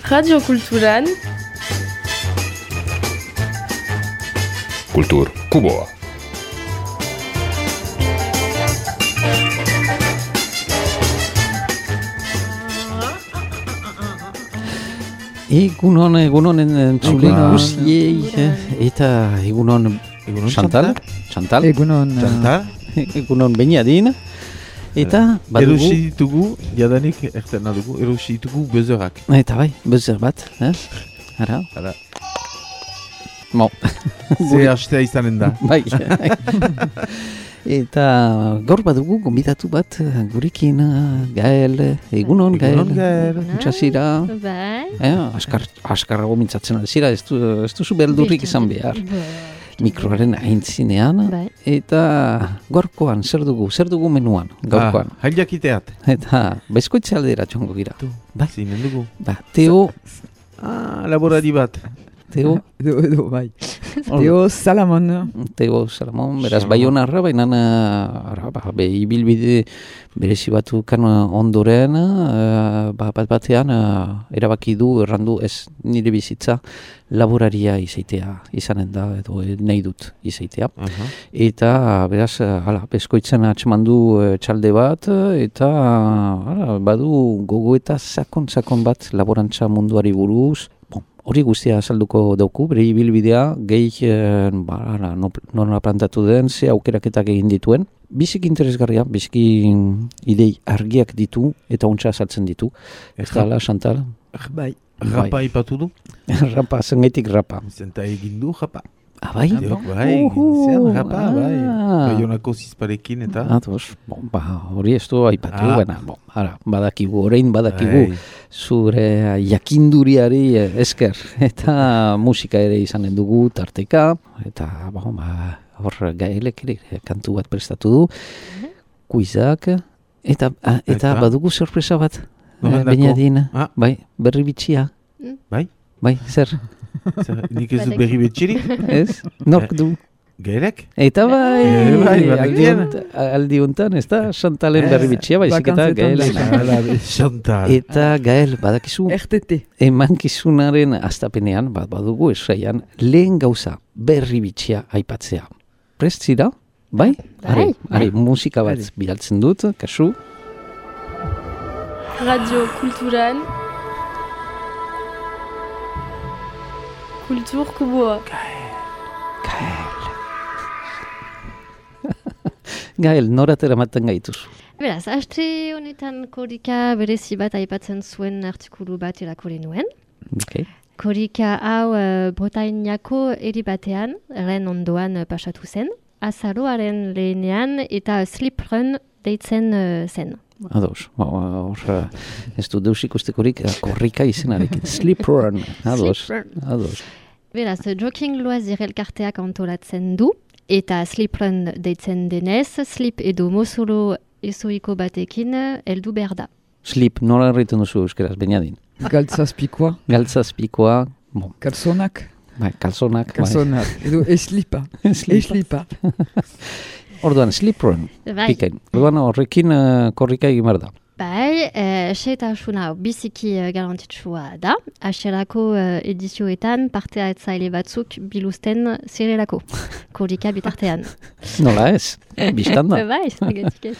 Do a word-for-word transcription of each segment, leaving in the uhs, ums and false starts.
Radio Kulturan Kultur Kuboa. Egunon, egunon entzule guziei, eta egunon Chantal, Chantal, egunon Chantal, egunon Beniadin, eta badugu... Erosi ditugu, jadanik ertena dugu, erosi ditugu bezerak. Eta bai, bezer bat, eh? Ara? Ara. Mo. Ze hastea izanen da. Bai. Eta gaur badugu gombidatu bat gurekin Gael, egunon Gael. Egunon Gael. Txasira. Bai. Eh, askar, askarrago mintzatzen alzira, ez, du, ez duzu beldurrik izan behar. Mikroaren aintzinean. Bai. Eta gaurkoan, zer dugu, zer dugu menuan, gaurkoan. Ah, jailjakiteat. Eta bezkoitze aldera txongo gira. Bai. Zinen dugu. Ba, Teo, Ah, laborari bat. Teo, edo, edo, bai. Teo Salamon. Teo Salamon, beraz Baionarra, baina ara, ba, be, ibilbide berezi batukan ondoren, uh, ba, bat batean uh, erabaki du, errandu ez nire bizitza laboraria izaitea izanen da, edo eh, nahi dut izaitea. Uh-huh. Eta beraz, uh, hala, bezkoitzen atxeman du uh, txalde bat, eta hala, badu gogo eta sakon-sakon bat laborantza munduari buruz. Hori guztia azalduko dauku, bere ibilbidea, gehi eh, ba, nola plantatu den, ze aukeraketak egin dituen. Biziki interesgarria, biziki idei argiak ditu eta ontsa azaltzen ditu. Ez dala, Chantal? Bai. Rapa ipatu du? Rapa, zengaitik rapa. Zenta egin du, rapa. Ah, bai? Diok, bai, egin zen, rapa, bai. Baionako zizparekin eta... Atos, bon, ba, hori ez du aipatu, Ah. baina, bon, ara, badakigu, orain badakigu, Bai. zure jakinduriari esker, eta musika ere izanen dugu tarteka, eta, bon, ba, hor Gaelek ere kantu bat prestatu du, kuizak, eta, ah, eta Eta? badugu sorpresa bat, Norendako? Beniadin, Ah. bai, berri bitxia, Bai? bai, zer, Zer, nik ez dut berri betxirik? ez, nork du? Gaelek? Eta bai, Eh, bai, aldi, badakien. hont- aldi hontan, ez da, Chantalen Eh, berri bitxia, baizik eta bakantzetan Gael. dena. Hala, Chantal. Eta Gael, badakizu, R T T. emankizunaren astapenean, bat badugu esraian, lehen gauza berri bitxia aipatzea. Prest zira? Bai? Are, are, musika bat Are. bidaltzen dut, kasu. Radio Kulturan Kultur Kuboa. Gael. Gael, noratera maten gaituzu. Beraz, aste honetan korika berezi bat aipatzen zuen artikulu bat irakurri nuen. Okay. Korika hau uh, Bretainiako eri batean, ren ondoan uh, pasatu zen, azaroaren lehenean eta Sleep Run deitzen uh, zen. Ados, ba, ba, hor, eh, ez du deus ikustekorik eh, korrika izenarekin. Sleep Run, ados, Sleep Run. ados. Beraz, Joking Loisir elkarteak antolatzen du, eta Sleep Run deitzen denez, Sleep edo mozolo ezoiko batekin uh, heldu behar da. Sleep, nola erraiten duzu euskeraz, Beniadin? Galtzazpikoa. Galtzazpikoa, bon, Kalsonak. bai, kalzonak, bai. Kalsonak. Edo eslipa. Eslipa. Orduan, Sleep Run, Bai, pikain. Orduan horrekin uh, korrika egin behar da. bai eh, xetasuna biziki uh, garrantzitsua da. Hasierako uh, edizioetan parte hartzaile batzuk biluzten zirelako. Korrika bitartean. Nola ez? Bistan da. Bai, horregatik ez.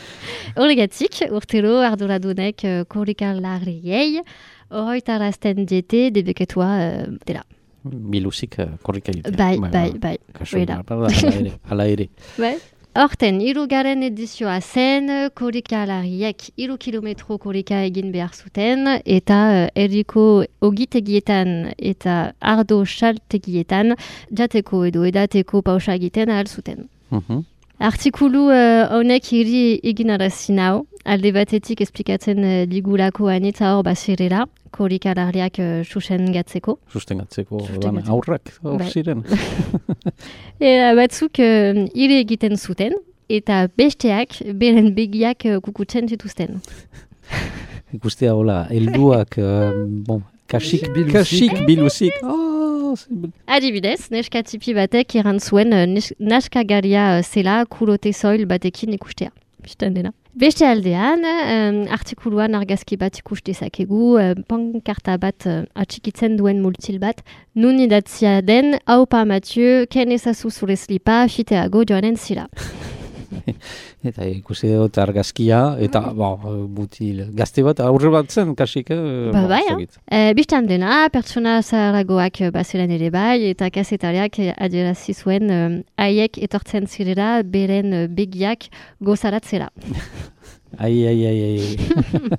Horregatik, urtero arduradunek uh, korrika larriei horretarazten diete debeketua uh, dela. Biluzik uh, korrika egitea. Bai, bai, bai. Kasu, Hori da. ala ere, ala ere. Bai. Horten, hirugarren edizioa zen, korrika larriek hiru kilometro korrika egin behar zuten, eta uh, herriko ogitegietan eta ardo saltegietan jateko edo edateko pausa egiten ahal zuten. Mhm. Artikulu uh, honek hiri egin arazin hau, alde batetik esplikatzen uh, digulako anitza hor bazirela, korrika larriak uh, susen gatzeko. Sustengatzeko, orduan, Sustengatzeko. aurrak, hor Bai. ziren. Eta batzuk uh, hiri egiten zuten, eta besteak beren begiak uh, kukutzen zituzten. Ikustea, hola, helduak, uh, bon, kasik, Biluzik. kasik, biluzik. Oh, zi- Adibidez, neska tipi batek eran zuen uh, nes- naskagaria uh, zela kulote soil batekin ikustea. Bistan dena. Beste aldean, um, artikuluan argazki bat ikus dezakegu, uh, pankarta bat uh, atxikitzen duen multil bat, nun idatzia den, haupa Mathieu, ken ezazu zure slipa, fiteago joanen zira. Eta ikusi dut argazkia, eta ba, mutil gazte bat, aurre bat zen, kasik. Eh, ba, ba, bai, eh? Bistan dena, pertsona zaharagoak bazelan ere bai, eta kazetariak adierazi zuen um, haiek etortzen zirela beren uh, begiak gozaratzera. Ai, ai, ai, ai.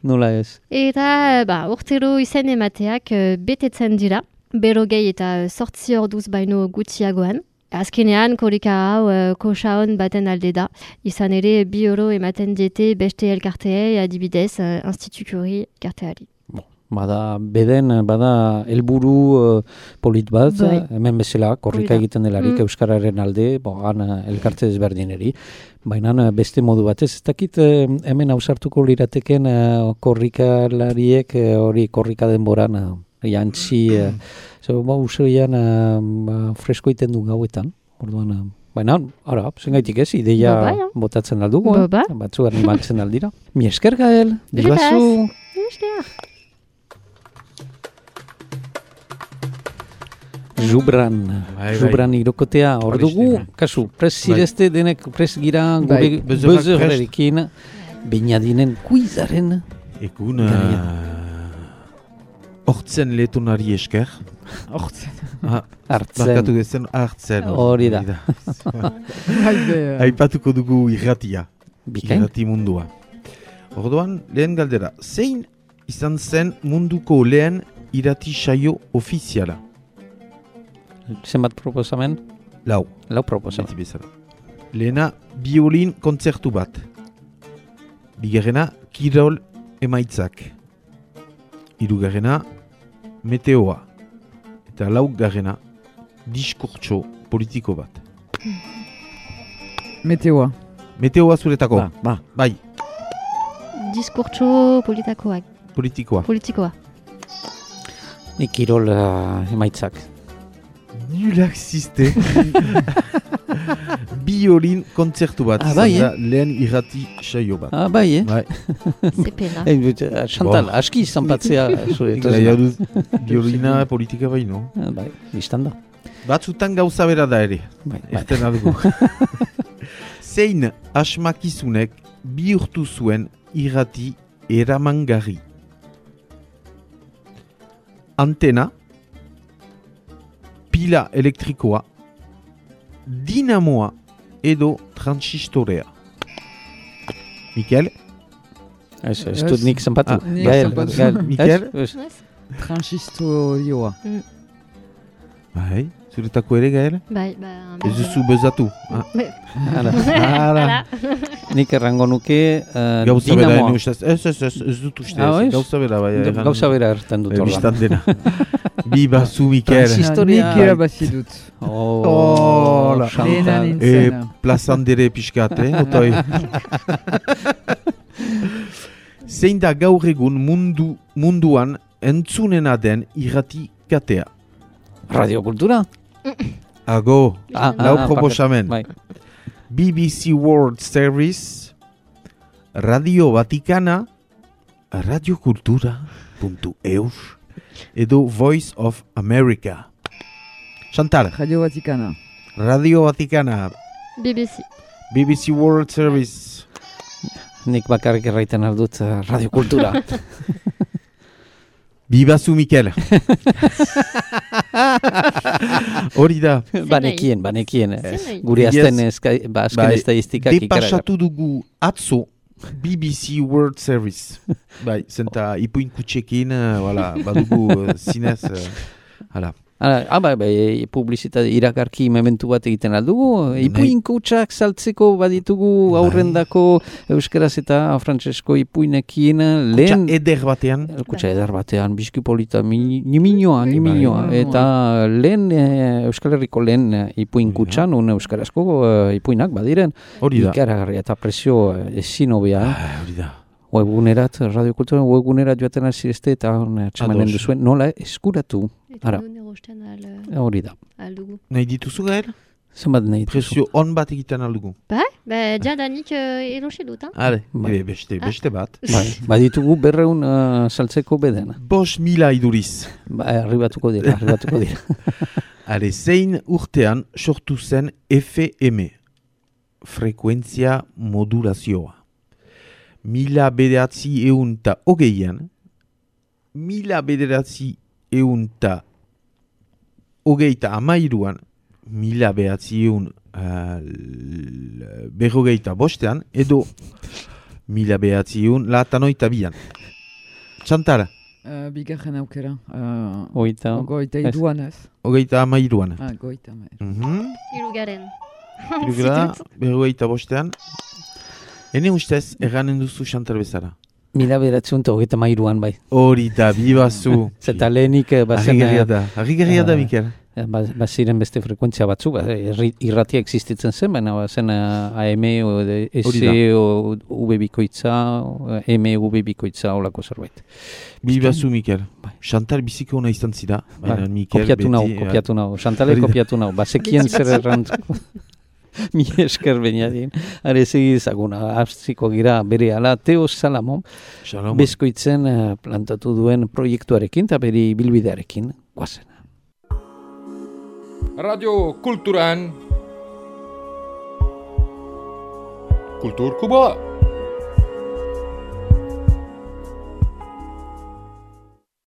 Nola ez. Eta ba, urtero izen emateak uh, betetzen dira, berogei eta sortzi orduz baino gutxiagoan. Azkenean, korrika hau uh, kosaon baten alde da. Izan ere, bi euro ematen diete beste elkarteei, adibidez, uh, institukuri elkarteari. Bon, bada, beden, bada helburu uh, polit bat, bai. Hemen bezala, korrika egiten delarik, mm. Euskararen alde, bo, han elkarte desberdineri. Baina beste modu batez, ez dakit uh, hemen hausartuko lirateken uh, korrikalariek hori uh, korrika denboran, uh, jantzi... Uh, So, ba, usoian uh, ba, fresko iten du gauetan. Orduan, uh, baina, ara, zengaitik ez, ideia ba, ba, botatzen aldugu, ba, ba. eh? Batzu animatzen aldira. Mi esker, Gael. Dibazu. Zubran. Bai, Zubran bai. irokotea. Hor dugu, kasu, pres zirezte denek pres gira gure bezorrerekin. Bainadinen kuizaren. Egun... Hortzen letonari esker. Hortzen. Hartzen. Barkatu dezen hartzen. Hori da. Aipatuko dugu irratia. Bikain? Irrati mundua. Orduan, lehen galdera. Zein izan zen munduko lehen irrati saio ofiziala? Zenbat proposamen? Lau. Lau proposamen. Beti bezala. Lehena, biolin kontzertu bat. Bigarrena, kirol emaitzak. Hirugarrena, meteoa. Eta laugarrena, diskurtso politiko bat. Meteoa. Meteoa zuretako. Ba, ba. Bai, Diskurtso politikoak. politikoa. Politikoa. Nik kirol uh, emaitzak. Nulak ziste. Biolin kontzertu bat. Ah, bai, izan da lehen irrati saio bat. Ah, bai, eh? Bai. Zepena. Eh, uh, Chantal, Bo. aski zanpatzea. Gaia dut, biolina politika bai, no? Bai, biztan da. Batzutan gauza bera da ere. Bai, bai. Erten adugu. Zein asmakizunek bihurtu zuen irrati eramangarri? Antena, pila elektrikoa, dinamoa edo transistorea. Mikel? Ez, ez dut nik zanpatu. Ah, nik Gael, zanpatu. Gael. Mikel? Ez, ez. Transistorioa. Bai, zuretako ere, Gael? Bai, ba... Ez duzu bezatu. Ah. Hala. Hala. Nik errango nuke uh, Gauza bera, dinamoa. ez, ez, ez, ez, ez dut uste. Ah, ez. ez? Gauza bera, bai. erran- Gauza bera erten dut Eh, ordan. Bistan dena. Bi bazu, Mikel. Transis- Historia- Nik irabazi dut. Oh, Hola. Lehena Chantal. E, nintzen. plazan dere pixkat, eh? Otoi. Zein da gaur egun mundu, munduan entzunena den irrati katea? Radiokultura? Ago, Ah, lau ah, proposamen. Bai. B B C World Service, Radio Vaticana, radiokultura puntu eus edo Voice of America. Chantal, Radio Vaticana. Radio Vaticana, B B C. B B C World Service. Nik bakarrik erraiten aldut uh, radiokultura. Bibazu, Mikel. Hori da. banekien, banekien. Zer nahi? Gure Yes. azten eska, ba, azken Bai, estadistikak ikaragarri. Depasatu dugu atzo B B C World Service. Bai, zenta ipuin kutxekin, uh, voilà, badugu uh, zinez, uh, hala. Hala, ah, bai, bai, publizitate iragarki mementu bat egiten aldugu. Ipuin kutsak saltzeko baditugu aurrendako euskaraz eta frantsesko ipuinekin Kutxa lehen... eder batean. Kutsa eder batean, bizkipolita, mi, niminoa, niminoa. Bai. Eta lehen, e, Euskal Herriko lehen e, ipuin Hori da. kutsan, un euskarazko e, ipuinak badiren. Hori da. Ikaragarria eta presio e, ezin hobea. Ah, hori da. Webgunerat, radiokultura webgunerat joaten azirezte eta txamanen Ados. duzuen nola eskuratu. Eta Ara. non erosten al, Hori da. al dugu. Nahi dituzu, Gael? Zenbat nahi duzu? Prezio on bat egiten aldugu. Bai, ba, jadanik uh, erosi dut, ha? Hale, Bai. ebe, beste, beste bat. Bai, baditugu berreun uh, saltzeko bedena. Bos mila iduriz. Ba, arribatuko dira, arribatuko dira. Hale, zein urtean sortu zen F M, frekuentzia modulazioa. Mila bederatzi eun ta hogeian, mila bederatzi eun ta hogeita amairuan, mila behatzi eun uh, berrogeita bostean, edo mila behatzi eun latanoita bian. Txantara, Uh, bigarren aukera. Uh, Oita. Goita Ez. iduan ez. hogeita amairuan. Ah, goita amairu. Mhm. Irugaren. Irugera, berrogeita bostean. Hene ustez, erranen duzu Chantal bezala. Mila beratzen eta hogeita mairuan bai. Hori da, bibazu. Zeta lehenik eh, bazen... Harrigarria da, harrigarria da, eh, Mikel. eh, ba- Baziren beste frekuentzia batzu, ba, irri- irratia existitzen zen, baina bazen eh, A M, o S, Hori da. o V bikoitza, o, M, V bikoitza, olako zerbait. Bibazu, Mikel. Bai. Chantal biziko ona izan zida. Baina Bai, Mikel kopiatu nau, beti, kopiatu nau. Xantale Hori da. kopiatu nau. Bazekien zer errantzuko. Mi esker bainadien. Are segi ezaguna, abziko gira bere ala Teo Salamon, Shalom. bezkoitzen eh, plantatu duen proiektuarekin eta bere bilbidearekin guazen. Radio Kulturan Kultur Kuba.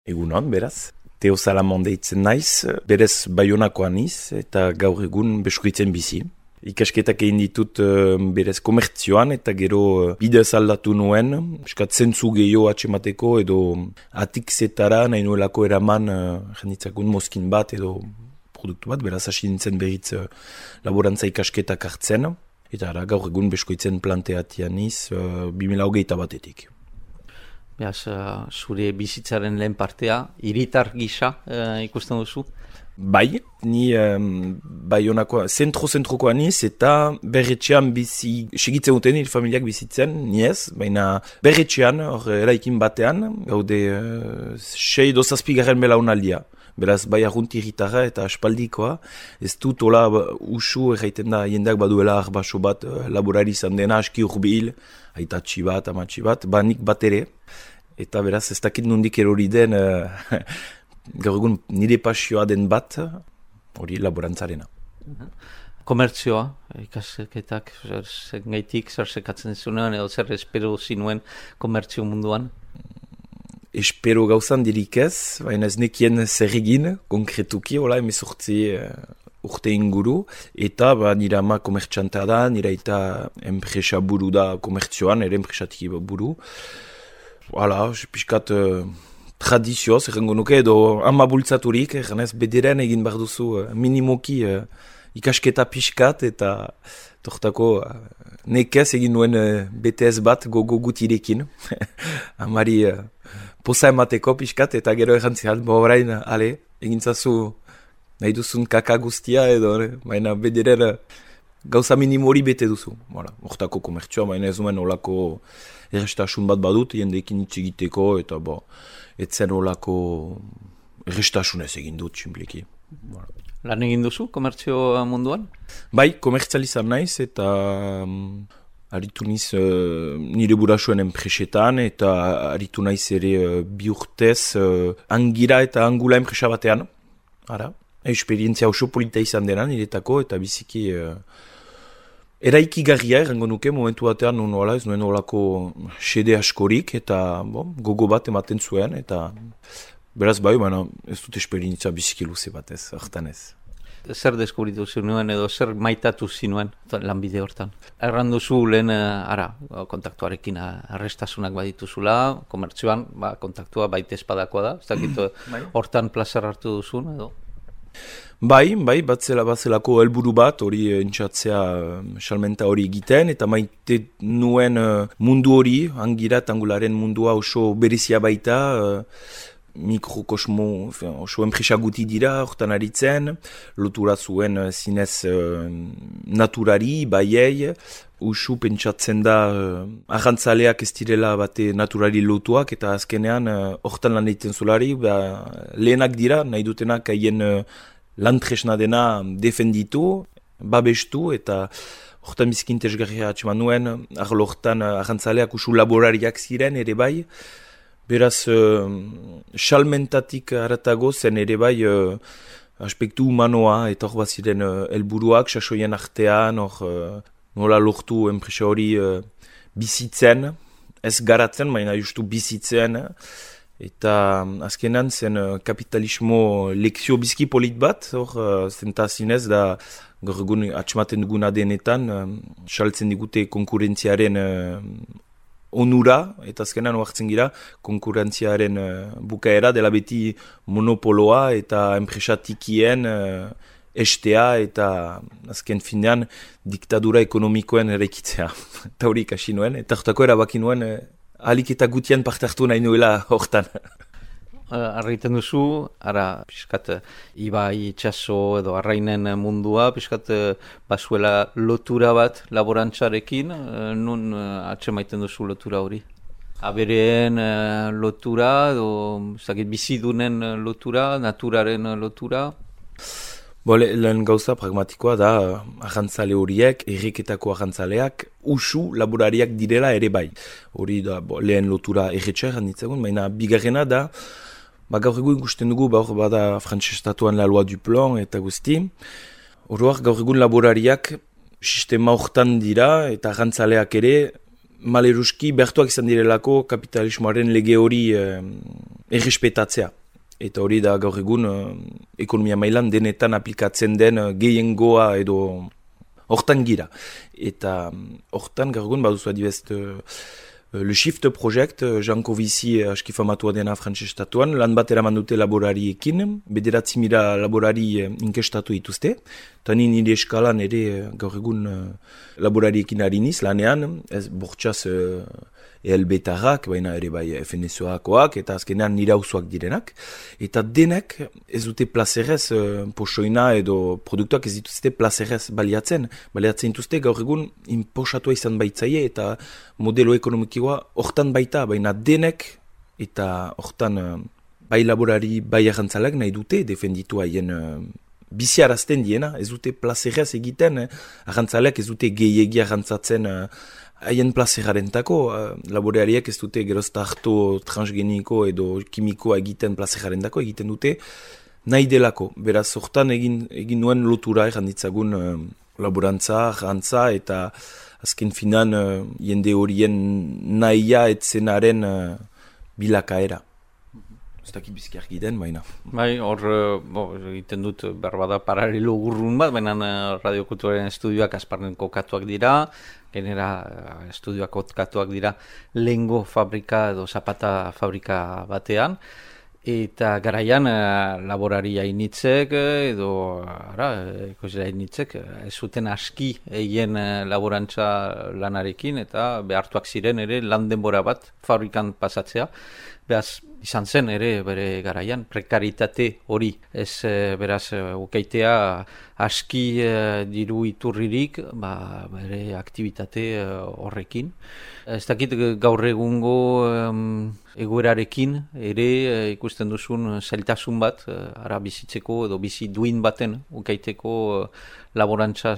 Egunon, beraz. Teo Salamon deitzen naiz, berez Baionakoa niz eta gaur egun beskoitzen bizi. Ikasketak egin ditut uh, berez komertzioan eta gero uh, bidez aldatu nuen, eskat zentzu gehiago atxemateko edo atikzetara nahi nuelako eraman uh, jenditzakun mozkin bat edo produktu bat, beraz hasi nintzen berriz uh, laborantza ikasketak hartzen, eta ara, gaur egun beskoitzen planteatian niz uh, bi mila hogeita batetik. Beaz, uh, zure bizitzaren lehen partea, hiritar gisa uh, ikusten duzu? Bai, ni um, Baionakoa, zentro-zentrokoa niz eta berretxean bizi, segitzen duten nire familiak bizitzen, ni ez, baina berretxean, hor eraikin batean, gaude uh, sei dozazpigarren belaunaldia. Beraz, bai arrunt irritarra eta aspaldikoa, ez dut hola usu erraiten da jendeak baduela arbaso bat uh, laborari izan dena, aski urbil, aitatxi bat, amatxi bat, ba nik bat ere, eta beraz ez dakit nondik erori den, uh, gaur egun nire pasioa den bat, hori laborantzarena. Komertzioa, ikasketak, zer zengaitik, zer sekatzen zuen, edo zer espero zinuen komertzio munduan? Espero gauzan dirik ez, baina ez nekien zer egin, konkretuki, hola, emezortzi uh, urte inguru, eta ba, nire ama komertxantea da, nire eta enpresa buru da komertzioan, ere enpresatik buru. Hala, pixkat uh, tradizioz, errengo nuke, edo ama bultzaturik, errenez bederen egin behar duzu uh, minimoki uh, ikasketa pixkat, eta tortako uh, nekez egin nuen uh, B T S bat gogo gutirekin. Amari uh, poza emateko pixkat, eta gero errantzial, bo orain, ale, egin zazu nahi duzun kaka guztia, edo, ne? Baina bederen uh, gauza minimori bete duzu. Voilà, hortako komertzioa, baina ez nuen olako errestasun bat badut, jendeekin hitz egiteko, eta bo, etzen olako errestasunez egin dut, simpliki. Voilà. Lan egin duzu komertzio munduan? Bai, komertzializan naiz, eta um, aritu niz uh, nire burasuen enpresetan, eta aritu naiz ere uh, bi urtez uh, angira eta angula enpresa batean. Ara, esperientzia oso polita izan dena niretako, eta biziki... Uh, Eraikigarria errango nuke momentu batean nun hola, ez nuen holako xede askorik eta bo, gogo bat ematen zuen eta beraz bai, baina ez dut esperientzia biziki luze batez, hartan ez. Zer deskubritu zinuen edo zer maitatu zinuen lanbide hortan? Erran duzu lehen, ara, kontaktuarekin arrestasunak badituzula, komertzioan, ba, kontaktua baita espadakoa da, ez dakit hortan plazer hartu duzun edo? Bai, bai, batzela batzelako helburu bat, hori entxatzea salmenta hori egiten, eta maite nuen uh, mundu hori, angira eta angularen mundua oso berezia baita, uh, mikrokosmo, oso enpresa guti dira, hortan aritzen, lotura zuen uh, zinez uh, naturari, baiei, usu pentsatzen da uh, arrantzaleak ez direla bate naturari lotuak, eta azkenean uh, hortan lan egiten zulari, ba, lehenak dira, nahi dutenak haien uh, lan tresna dena defenditu, babestu eta hortan biziki interesgarria atxeman nuen, arlo hortan arrantzaleak usu laborariak ziren ere bai, beraz uh, salmentatik haratago zen ere bai uh, aspektu humanoa eta hor bat ziren uh, helburuak sasoien artean, hor uh, nola lortu enpresa hori uh, bizitzen, ez garatzen, baina justu bizitzen, eta azkenan zen uh, kapitalismo lekzio bizki polit bat, hor uh, zenta zinez da gaur egun atxematen duguna denetan, uh, saltzen digute konkurentziaren uh, onura, eta azkenan oartzen gira konkurentziaren uh, bukaera dela beti monopoloa eta enpresa tikien uh, estea eta azken finean diktadura ekonomikoen eraikitzea. Eta hori ikasi nuen, eta hortako erabaki nuen uh, ahalik eta gutien parte hartu nahi nuela hortan. Arraiten duzu, ara, piskat, ibai, itxaso edo arrainen mundua, piskat, basuela lotura bat laborantzarekin, nun atsemaiten duzu lotura hori? Abereen lotura, edo, zakit, bizidunen lotura, naturaren lotura? Bo, lehen gauza pragmatikoa da, arrantzale horiek, erreketako arrantzaleak, usu laborariak direla ere bai. Hori da, bo, lehen lotura erretxer handitzagun, baina bigarrena da, ba, gaur egun ikusten dugu, ba, hor bada frantsestatuan la loi du plan eta guzti. Horoak gaur egun laborariak sistema hortan dira eta arrantzaleak ere, maleruski behartuak izan direlako kapitalismoaren lege hori eh, errespetatzea. Eta hori da gaur egun uh, ekonomia mailan denetan aplikatzen den uh, gehiengoa edo hortan gira. Eta hortan gaur egun baduzu adibest uh, Le Shift Project, uh, Janko Bizi uh, aski famatua dena frantsestatuan, lan bat eraman dute laborariekin, bederatzi mila laborari uh, inkestatu dituzte. Eta ni nire eskalan ere uh, gaur egun uh, laborariekin hariniz lanean, ez bortxaz uh, E L B-tarrak, baina ere bai F N S O-akoak, eta azkenean nire hauzuak direnak. Eta denek ez dute plazerez, uh, posoina edo produktuak ez dituzte plazerez baliatzen. Baliatzen dituzte gaur egun inposatua izan baitzaie eta modelo ekonomikoa hortan baita, baina denek eta hortan uh, bai laborari, bai arrantzalak nahi dute defenditu haien uh, biziarazten diena, ez dute plazerez egiten, eh? Arrantzaleak ez dute gehiegi arrantzatzen uh, haien plazerarentako, uh, laboreariak ez dute gerozta hartu transgeniko edo kimikoa egiten plazerarentako, egiten dute nahi delako. Beraz, hortan egin, egin nuen lotura erranditzagun uh, laborantza, arrantza eta azken finan uh, jende horien nahia etzenaren uh, bilakaera. Ez dakit bizki argi den, baina. Bai, hor, bo, egiten dut berbada paralelo urrun bat, baina radiokulturaren estudioak Asparnen kokatuak dira, genera estudioak kokatuak dira lehengo fabrika edo zapata fabrika batean, eta garaian laborari hainitzek edo, ara, ikusera hainitzek, ez zuten aski egin laborantza lanarekin, eta behartuak ziren ere lan denbora bat fabrikan pasatzea. Beraz, izan zen ere bere garaian, prekaritate hori, ez beraz ukaitea aski diru iturririk, ba, bere aktivitate horrekin. Ez dakit gaur egungo um, egoerarekin ere ikusten duzun zailtasun bat, ara bizitzeko edo bizi duin baten ukaiteko laborantza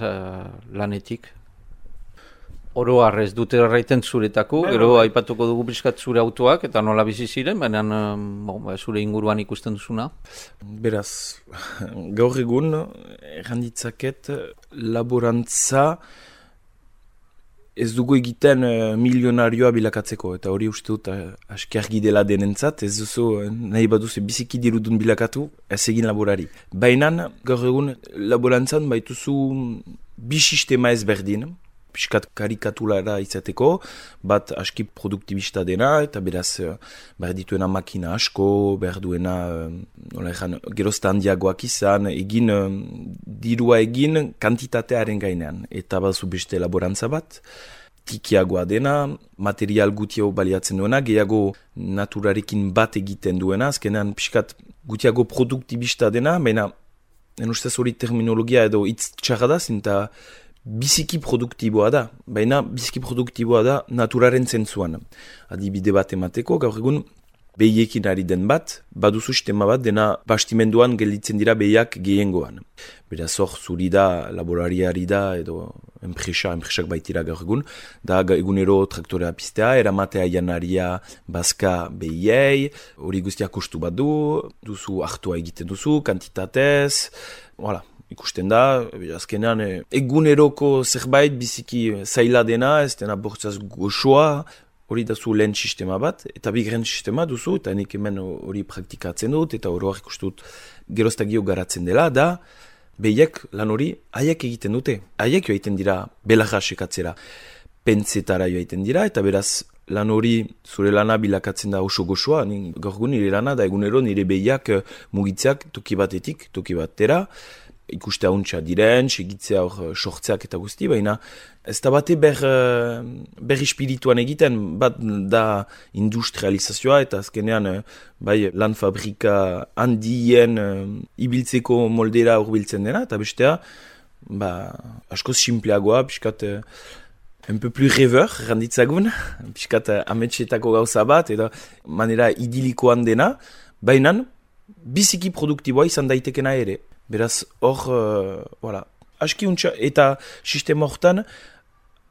lanetik. Oro har ez dute erraiten zuretako, gero aipatuko dugu pixkat zure autoak eta nola bizi ziren, baina bon, zure inguruan ikusten duzuna. Beraz, gaur egun erranditzaket laborantza ez dugu egiten uh, milionarioa bilakatzeko, eta hori uste dut uh, aski argi dela denentzat, ez duzu uh, nahi baduzu biziki dirudun bilakatu, ez egin laborari. Baina gaur egun laborantzan baituzu bi sistema ezberdin, piskat karikatulara izateko, bat aski produktibista dena, eta beraz behar dituena makina asko, behar duena nola egan, gerozta handiagoak izan, egin, dirua egin kantitatearen gainean. Eta bazu beste laborantza bat, tikiagoa dena, material gutiago baliatzen duena, gehiago naturarekin bat egiten duena, azkenean piskat gutiago produktibista dena, baina en ustez hori terminologia edo hitz txarra da, zinta biziki produktiboa da, baina biziki produktiboa da naturaren zentzuan. Adibide bat emateko, gaur egun behiekin ari den bat, baduzu sistema bat dena bastimenduan gelditzen dira behiak gehiengoan. Beraz hor zuri da, laborariari da, edo enpresa, enpresak baitira gaur egun, da egunero traktorea piztea, eramatea janaria bazka behiei, hori guztia kostu bat du, duzu hartua egiten duzu, kantitatez, voilà. Ikusten da, azkenean eguneroko zerbait biziki zaila dena, ez dena bortzaz goxoa, hori da zu lehen sistema bat, eta bigren sistema duzu, eta nik hemen hori praktikatzen dut, eta hori ikustut geroztagio garatzen dela, da behiek lan hori haiek egiten dute. Haiek joa egiten dira belarra sekatzera, pentsetara joa egiten dira, eta beraz lan hori zure lana bilakatzen da oso goxoa, gaur egun nire lana da egunero nire behiak mugitzeak toki batetik, toki batera, ikustea untxa diren, segitzea hor sortzeak eta guzti, baina ez da bate ber, ber espirituan egiten, bat da industrializazioa eta azkenean bai lan fabrika handien ibiltzeko moldera urbiltzen dena, eta bestea ba, askoz simpleagoa, piskat un peu plus rêveur, randitzagun, piskat ametxetako gauza bat, eta manera idilikoan dena, baina biziki produktiboa izan daitekena ere. Beraz, hor, uh, voilà, aski untxa, eta sistema hortan,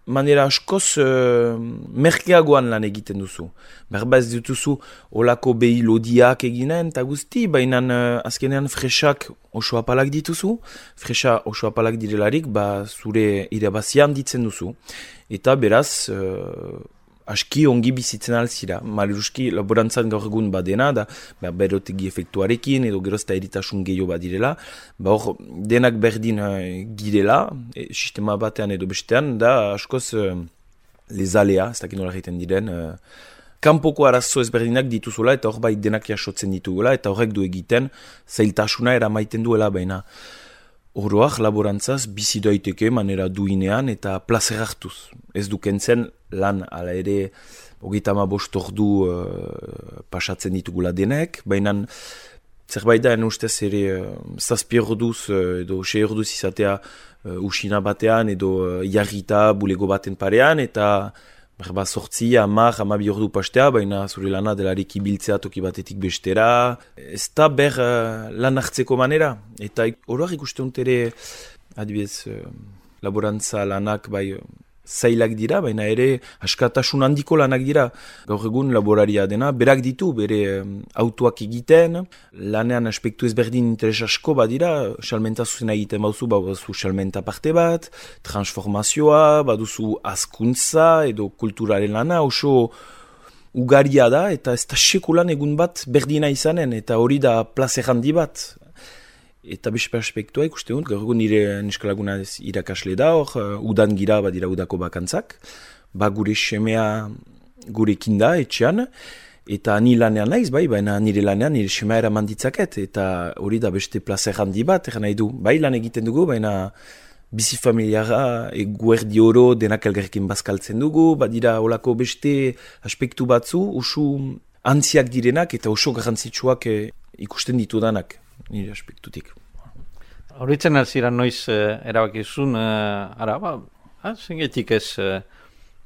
manera askoz uh, merkeagoan lan egiten duzu. Berba ez dituzu olako behi lodiak eginen, eta guzti, baina uh, azkenean fresak oso apalak dituzu, fresa oso apalak direlarik, ba, zure irabazian ditzen duzu. Eta beraz, uh, aski ongi bizitzen alzira. Maleruski laborantzan gaur egun badena, da ba, berotegi efektuarekin, edo gerozta eritasun gehiago badirela, ba hor denak berdin uh, girela, e, sistema batean edo bestean, da askoz uh, lezalea, ez dakit nola egiten diren, uh, kanpoko arazo ezberdinak dituzula, eta hor bai denak jasotzen ditugula, eta horrek du egiten, zailtasuna eramaiten duela baina. Oroak laborantzaz bizi daiteke manera duinean eta plazer hartuz. Ez dukentzen lan ala ere hogeita hamabost ordu uh, pasatzen ditugula denek, baina zerbait da ustez ere uh, zazpi orduz uh, edo sei orduz izatea uh, usina batean edo uh, jarrita bulego baten parean eta berba sortzi, hamar, hamabi ordu pastea, baina zure lana delarik ibiltzea toki batetik bestera. Ez da ber uh, lan hartzeko manera. Eta horoak ikusten dut ere, adibidez, uh, laborantza lanak bai uh, zailak dira, baina ere askatasun handiko lanak dira. Gaur egun laboraria dena, berak ditu, bere um, autoak egiten, lanean aspektu ezberdin interes asko badira, salmenta zuzena egiten bauzu, baduzu salmenta parte bat, transformazioa, baduzu azkuntza edo kulturaren lana, oso ugaria da, eta ez da sekulan egun bat berdina izanen, eta hori da plazer handi bat. Eta beste perspektua ikusten dut, gaur egun nire neskalaguna irakasle da, hor, udan gira badira udako bakantzak, ba gure semea gurekin da, etxean, eta ni lanean naiz, bai, baina nire lanean nire semea eraman ditzaket, eta hori da beste plazer handi bat, eran nahi du, bai lan egiten dugu, baina bizi familiara, eguerdi oro denak elgerrekin bazkaltzen dugu, badira olako beste aspektu batzu, oso antziak direnak eta oso garrantzitsuak eh, ikusten ditudanak. Nire aspektutik. Horritzen alziran noiz uh, erabakizun, uh, ara, ba, ah, zengetik ez uh,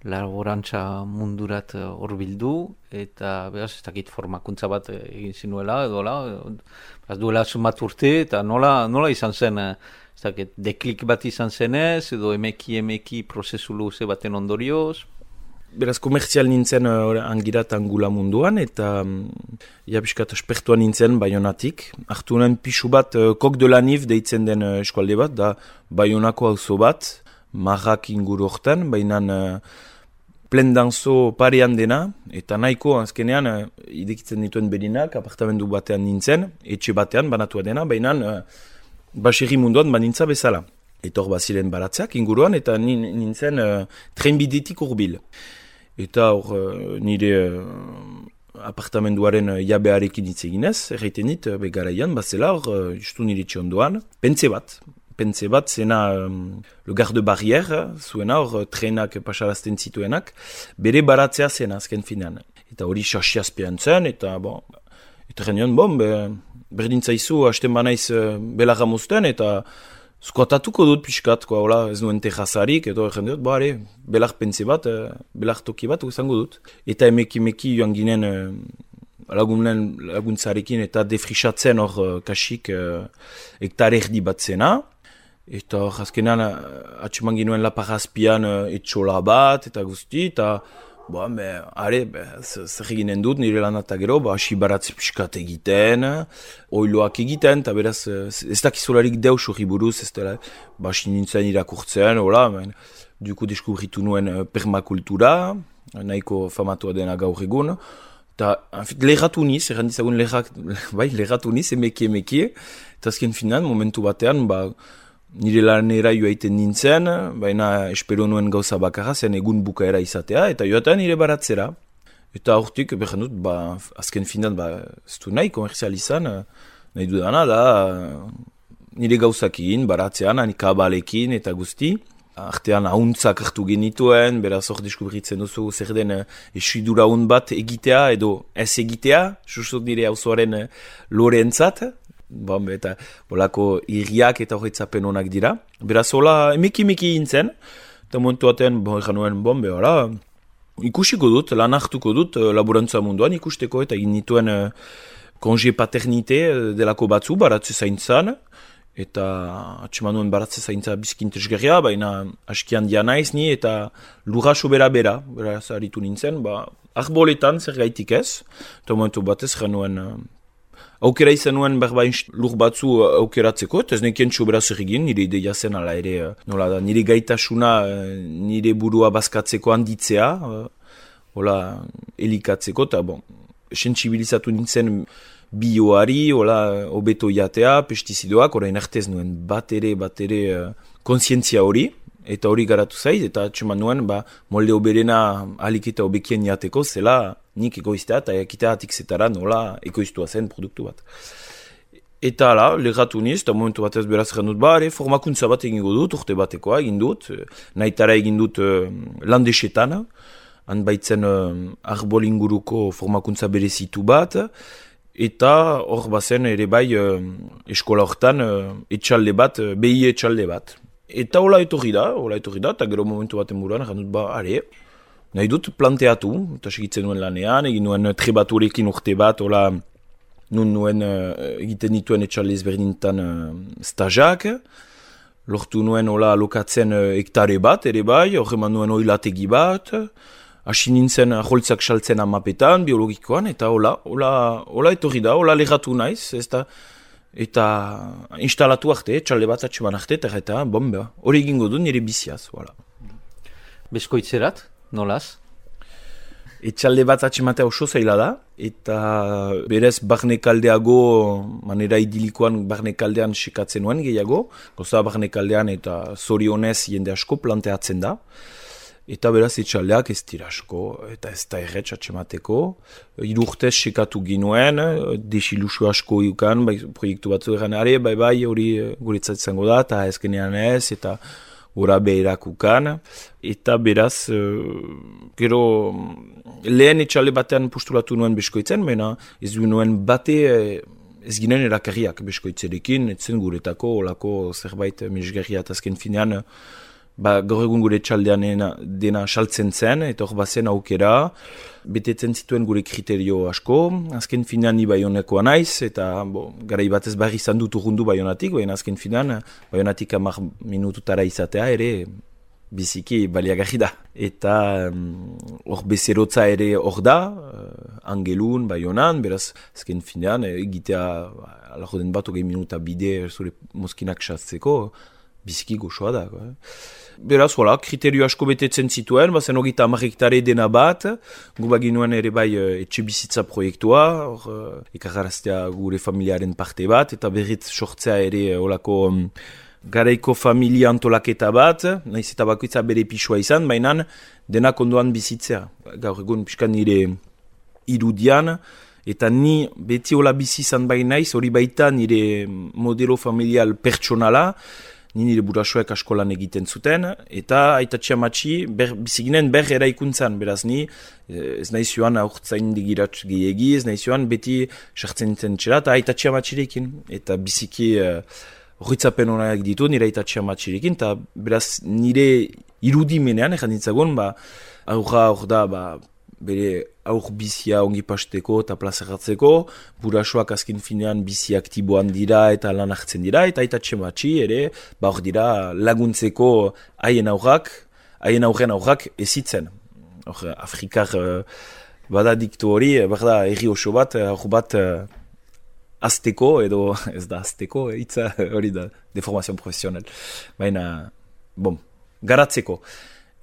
laborantza mundurat hor uh, bildu, eta behaz ez dakit formakuntza bat uh, egin zinuela, edo la, uh, duela zumat urte, eta nola, nola izan zen, uh, ez dakit, deklik bat izan zenez, edo emeki emeki prozesu luze baten ondorioz? Beraz, komertzial nintzen uh, angirat angula munduan, eta um, ja piskat espertuan nintzen Baionatik. Artu nuen pixu bat, uh, Kok de la Nif deitzen den uh, eskualde bat, da Baionako auzo bat, marrak inguru hortan, baina uh, plendanzo parean dena, eta nahiko azkenean uh, idekitzen dituen berinak, apartamendu batean nintzen, etxe batean banatua dena, baina uh, baserri munduan banintza bezala. Eta hor baziren baratzeak inguruan, eta nintzen uh, trenbidetik urbil. Eta hor uh, nire uh, apartamenduaren uh, jabearekin hitz eginez, erraiten dit, uh, begaraian, bazela hor, uh, justu nire txondoan, pentze bat. Pentze bat, zena um, le garde barrière, zuena hor, trenak pasarazten zituenak, bere baratzea zena azken finean. Eta hori xasiazpean zen, eta bon, eta genion, bon, be, berdintzaizu, hasten banaiz uh, belarra mozten, eta Skotatuko dut pixkat, koa, hola, ez nuen terrazarik, edo egin dut, bare, belar pentze bat, belar toki bat, izango dut. Eta emeki-meki joan ginen lagunen laguntzarekin eta defrisatzen hor uh, kasik uh, hektare erdi bat zena. Eta hor azkenan uh, atseman ginuen lapagazpian uh, etxola bat eta guzti, eta Ba, be, are, be, zer eginen dut, nire lan eta gero, ba, hasi baratze piskat egiten, oiloak egiten, eta beraz, ez dakizolarik deus hori buruz, ez dela, ba, hasi nintzen irakurtzen, hola, ben, duko deskubritu nuen permakultura, nahiko famatua dena gaur egun, eta, enfit, lerratu niz, errandizagun lerrak, bai, lerratu niz, emeki, emeki, eta azken finan, momentu batean, ba, nire lanera joaiten nintzen, baina espero nuen gauza bakarra zen egun bukaera izatea, eta joaten nire baratzera. Eta hortik, behar dut, ba, azken finan, ba, ez du nahi komerzializan, nahi dudana da, nire gauzak egin, baratzean, ani kabalekin eta guzti. Artean ahuntzak hartu genituen, beraz hor deskubritzen duzu zer den esuidura hon bat egitea edo ez egitea, susot nire hauzoaren loreentzat. Bon, eta bolako irriak eta horretzapen honak dira. Beraz, hola, emeki-emeki gintzen. Eta momentu batean, bon, egan nuen, bon, behara, ikusiko dut, lan hartuko dut, laborantza munduan ikusteko, eta egin nituen uh, konje paternite delako batzu, baratze zaintzan, eta atseman nuen baratze zaintza bizkintesgerria, baina askian dia naiz ni, eta lurra sobera-bera, beraz, aritu nintzen, ba, arboletan zer gaitik ez, eta momentu batez egan nuen, uh, aukera izan nuen berbain lur batzu aukeratzeko, eta ez nekien txobera zer egin, nire ideia zen ala ere, nola da, nire gaitasuna, nire burua bazkatzeko handitzea, hola, elikatzeko, eta bon, sentsibilizatu nintzen bioari, hola, hobeto jatea, pestizidoak, orain artez nuen bat ere, bat ere kontzientzia hori, eta hori garatu zaiz, eta txeman nuen, ba, molde oberena alik eta hobekien jateko, zela, nik egoiztea eta ekitea atik zetara nola ekoiztua zen produktu bat. Eta ala, lerratu niz, eta momentu batez beraz egin dut, ba, ere, formakuntza bat egingo dut, urte batekoa egin dut, nahitara egin dut uh, landesetan, han baitzen uh, arbolinguruko formakuntza berezitu bat, eta hor bazen ere bai uh, eskola hortan uh, etxalde bat, uh, behi etxalde bat. Eta hola etorri da, hola etorri da, eta gero momentu baten buruan egin dut, ba, are, nahi dut planteatu, eta segitzen nuen lanean, egin nuen trebaturekin urte bat, hola, nun nuen uh, egiten dituen etxalde ezberdintan uh, stajak, lortu nuen hola alokatzen uh, hektare bat, ere bai, hor eman nuen oilategi bat, hasi nintzen aholtzak saltzen amapetan, biologikoan, eta hola, hola, hola etorri da, hola lerratu naiz, ez da, eta instalatu arte, etxalde bat atxeman arte, eta eta, bon, beha, hori egingo du nire biziaz, hola. Beskoitzerat? Nolaz? Etxalde bat atxematea oso zaila da, eta berez barnekaldeago, manera idilikoan barnekaldean sekatzen nuen gehiago, goza barnekaldean eta zorionez jende asko planteatzen da, eta beraz etxaldeak ez dira asko, eta ez da erretz atxemateko. Hiru urtez sekatu ginuen, desilusio asko iukan, bai, proiektu batzu egan, are, bai bai hori guretzat izango da, eta ezkenean ez, eta gora beherakukan, eta beraz, uh, gero lehen etxalde batean postulatu nuen beskoitzen, baina ez du nuen bate ez ginen erakarriak beskoitzerekin, etzen guretako, olako zerbait mesgerria eta azken finean, ba, gaur egun gure etxaldean dena saltzen zen, eta hor bazen aukera, betetzen zituen gure kriterio asko, azken finean ni Baionekoa naiz, eta bo, garai batez barri izan dut urrundu Baionatik, baina azken finean Baionatik hamar minututara izatea ere biziki baliagarri da. Eta hor um, bezerotza ere hor da, uh, Angelun, Baionan, beraz azken finean egitea alako den bat hogei minuta bide zure mozkinak satzeko, biziki goxoa da. Eh? Beraz, hola, kriterio asko betetzen zituen, bazen hogita hamar hektare dena bat, gu baginuen ere bai etxe bizitza proiektua, hor, ekarraraztea gure familiaren parte bat, eta berriz sortzea ere holako um, garaiko familia antolaketa bat, nahiz eta bakoitza bere pisua izan, baina denak ondoan bizitzea. Gaur egun pixkan nire irudian, eta ni beti hola bizi izan bai naiz, hori baita nire modelo familial pertsonala, ni nire burasoek askolan egiten zuten, eta aitatxea matxi biziginen ber eraikuntzan, beraz ni ez nahi zioan aurtzain digiratz gehiagi, ez nahi zioan beti sartzen nintzen txera, eta aitatxea matxirekin, eta biziki horretzapen uh, honak ditu nire aitatxea matxirekin, eta beraz nire irudimenean, ezan ditzagun, ba, aurra hor da, ba, bere aur bizia ongi pasteko eta plazaratzeko, burasoak azken finean bizi aktiboan dira eta lan hartzen dira, eta aita txematxi ere, ba hor dira laguntzeko haien aurrak, haien aurren aurrak ezitzen. Hor, Afrikar uh, bada diktu hori, berda, erri oso bat, hor bat uh, azteko, edo ez da azteko, hitza hori da, deformazio profesional. Baina, bom, garatzeko.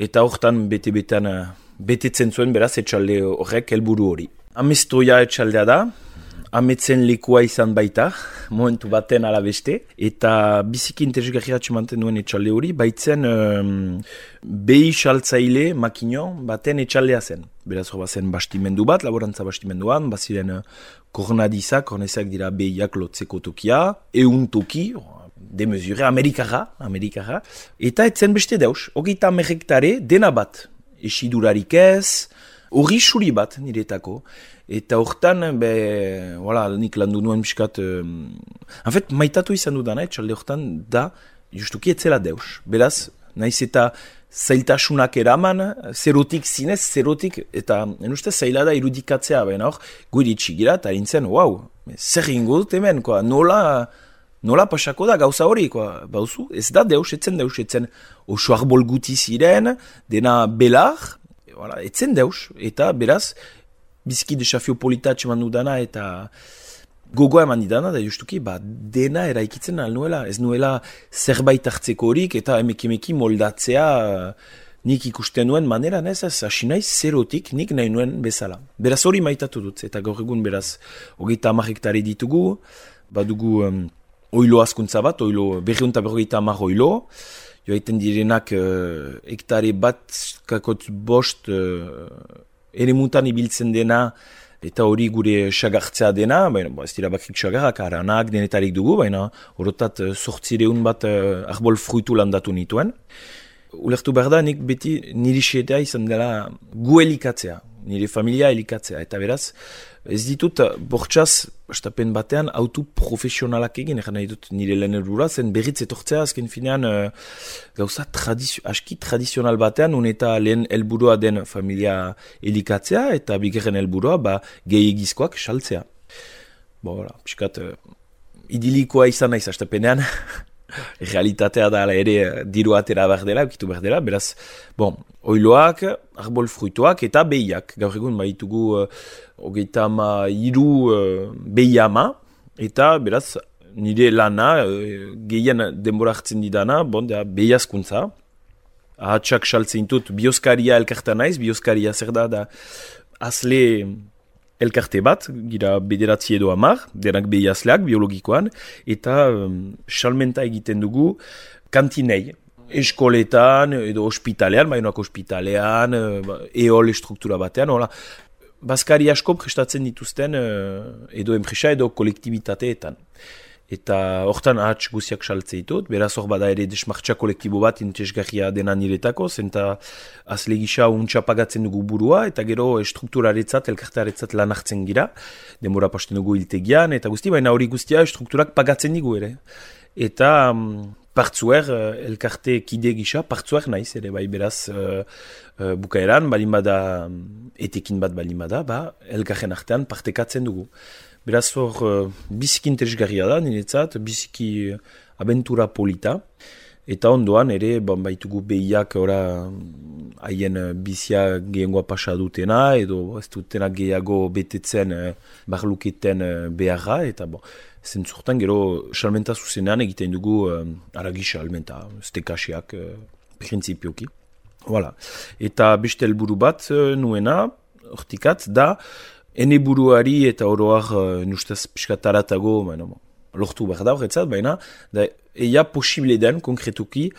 Eta hortan bete-betean uh, betetzen zuen beraz etxalde horrek helburu hori. Amestoia etxaldea da, ametzen lekua izan baita, momentu baten ala beste, eta biziki interesgarria atxemanten duen etxalde hori, baitzen um, behi saltzaile makino baten etxaldea zen. Beraz hor bazen bastimendu bat, laborantza bastimenduan, baziren uh, kornadizak, kornezak dira behiak lotzeko tokia, eun toki, demezure, amerikara, amerikara, eta etzen beste deus, hogeita amerrektare dena bat, esidurarik ez, hori suri bat niretako, eta hortan, be, voilà, nik landu nuen biskat, um, en fait, maitatu izan dudana, etxalde hortan, da, justuki etzela deus, beraz, naiz eta zailtasunak eraman, zerotik zinez, zerotik, eta en uste zaila da irudikatzea, baina hor, guiri txigira, eta erintzen, wow, zer ingo dut hemen, koa, nola, nola pasako da gauza hori, koa, bauzu, ez da deus, etzen deus, etzen oso arbol guti ziren, dena belar, voilà, etzen deus, eta beraz, bizki desafio polita atxeman dudana, eta gogoa eman didana, da justuki, ba, dena eraikitzen al nuela, ez nuela zerbait hartzeko horik, eta emeki-emeki moldatzea, nik ikusten nuen manera, ez, ez, hasi naiz zerotik, nik nahi nuen bezala. Beraz hori maitatu dut, eta gaur egun beraz, hogeita hamar hektare ditugu, badugu um, oilo askuntza bat, oilo, berriunta berrogeita hamar oilo, joaiten direnak uh, hektare bat, kakotz bost, uh, ere mutan ibiltzen dena, eta hori gure sagartzea dena, baina bo, ez dira bakrik sagarrak, aranak, denetarik dugu, baina horotat sortzireun bat uh, arbol fruitu landatu nituen. Ulertu behar da, nik beti niri xetea izan dela gu elikatzea, nire familia elikatzea, eta beraz, ez ditut bortxaz, estapen batean, autu profesionalak egin, egan nahi dut nire lehen helburua, zen berriz etortzea, azken finean, uh, gauza tradizio, aski tradizional batean, un eta lehen helburua den familia elikatzea, eta bigarren helburua, ba, gehi egizkoak saltzea. Bo, voilà, piskat, uh, idilikoa izan naiz, estapenean, realitatea da ere diru atera behar dela, ukitu behar dela, beraz, bon, oiloak, arbol fruituak eta behiak. Gaur egun bahitugu uh, hogeita ama hiru uh, behi ama, eta beraz, nire lana, uh, gehien denbora hartzen didana, bon, da, behi askuntza. Ahatsak saltzen dut, bioskaria elkarta naiz, bioskaria zer da, da, azle elkarte bat, gira bederatzi edo amar, denak behi azleak, biologikoan, eta um, salmenta egiten dugu kantinei. Eskoletan, edo ospitalean, bainoak ospitalean, eol struktura batean, hola. Baskari asko prestatzen dituzten edo enpresa edo kolektibitateetan. Eta hortan ahats guziak saltze ditut, beraz hor bada ere desmartxa kolektibo bat interesgarria dena niretako, zenta azle gisa untxa pagatzen dugu burua, eta gero strukturaretzat, elkartearetzat lan hartzen gira, denbora pasten dugu hiltegian, eta guzti, baina hori guztia strukturak pagatzen digu ere. Eta um, partzuer, elkarte kide gisa, partzuer naiz, ere bai beraz uh, uh, bukaeran, balin bada, etekin bat balin bada, ba, elkarren artean partekatzen dugu. Beraz hor, uh, biziki interesgarria da, niretzat, biziki uh, abentura polita, eta ondoan ere, bon, baitugu behiak ora haien uh, bizia gehiagoa pasa dutena, edo ez dutena gehiago betetzen uh, barluketen uh, beharra, eta bon, zentzurtan gero salmenta zuzenean egiten dugu uh, aragi salmenta, stekasiak uh, prinsipioki. Voilà. Eta beste helburu bat uh, nuena, hortikat, da, ene buruari eta oroak uh, nustaz piskataratago, baina, lortu behar da horretzat, baina, da, eia posible den, konkretuki,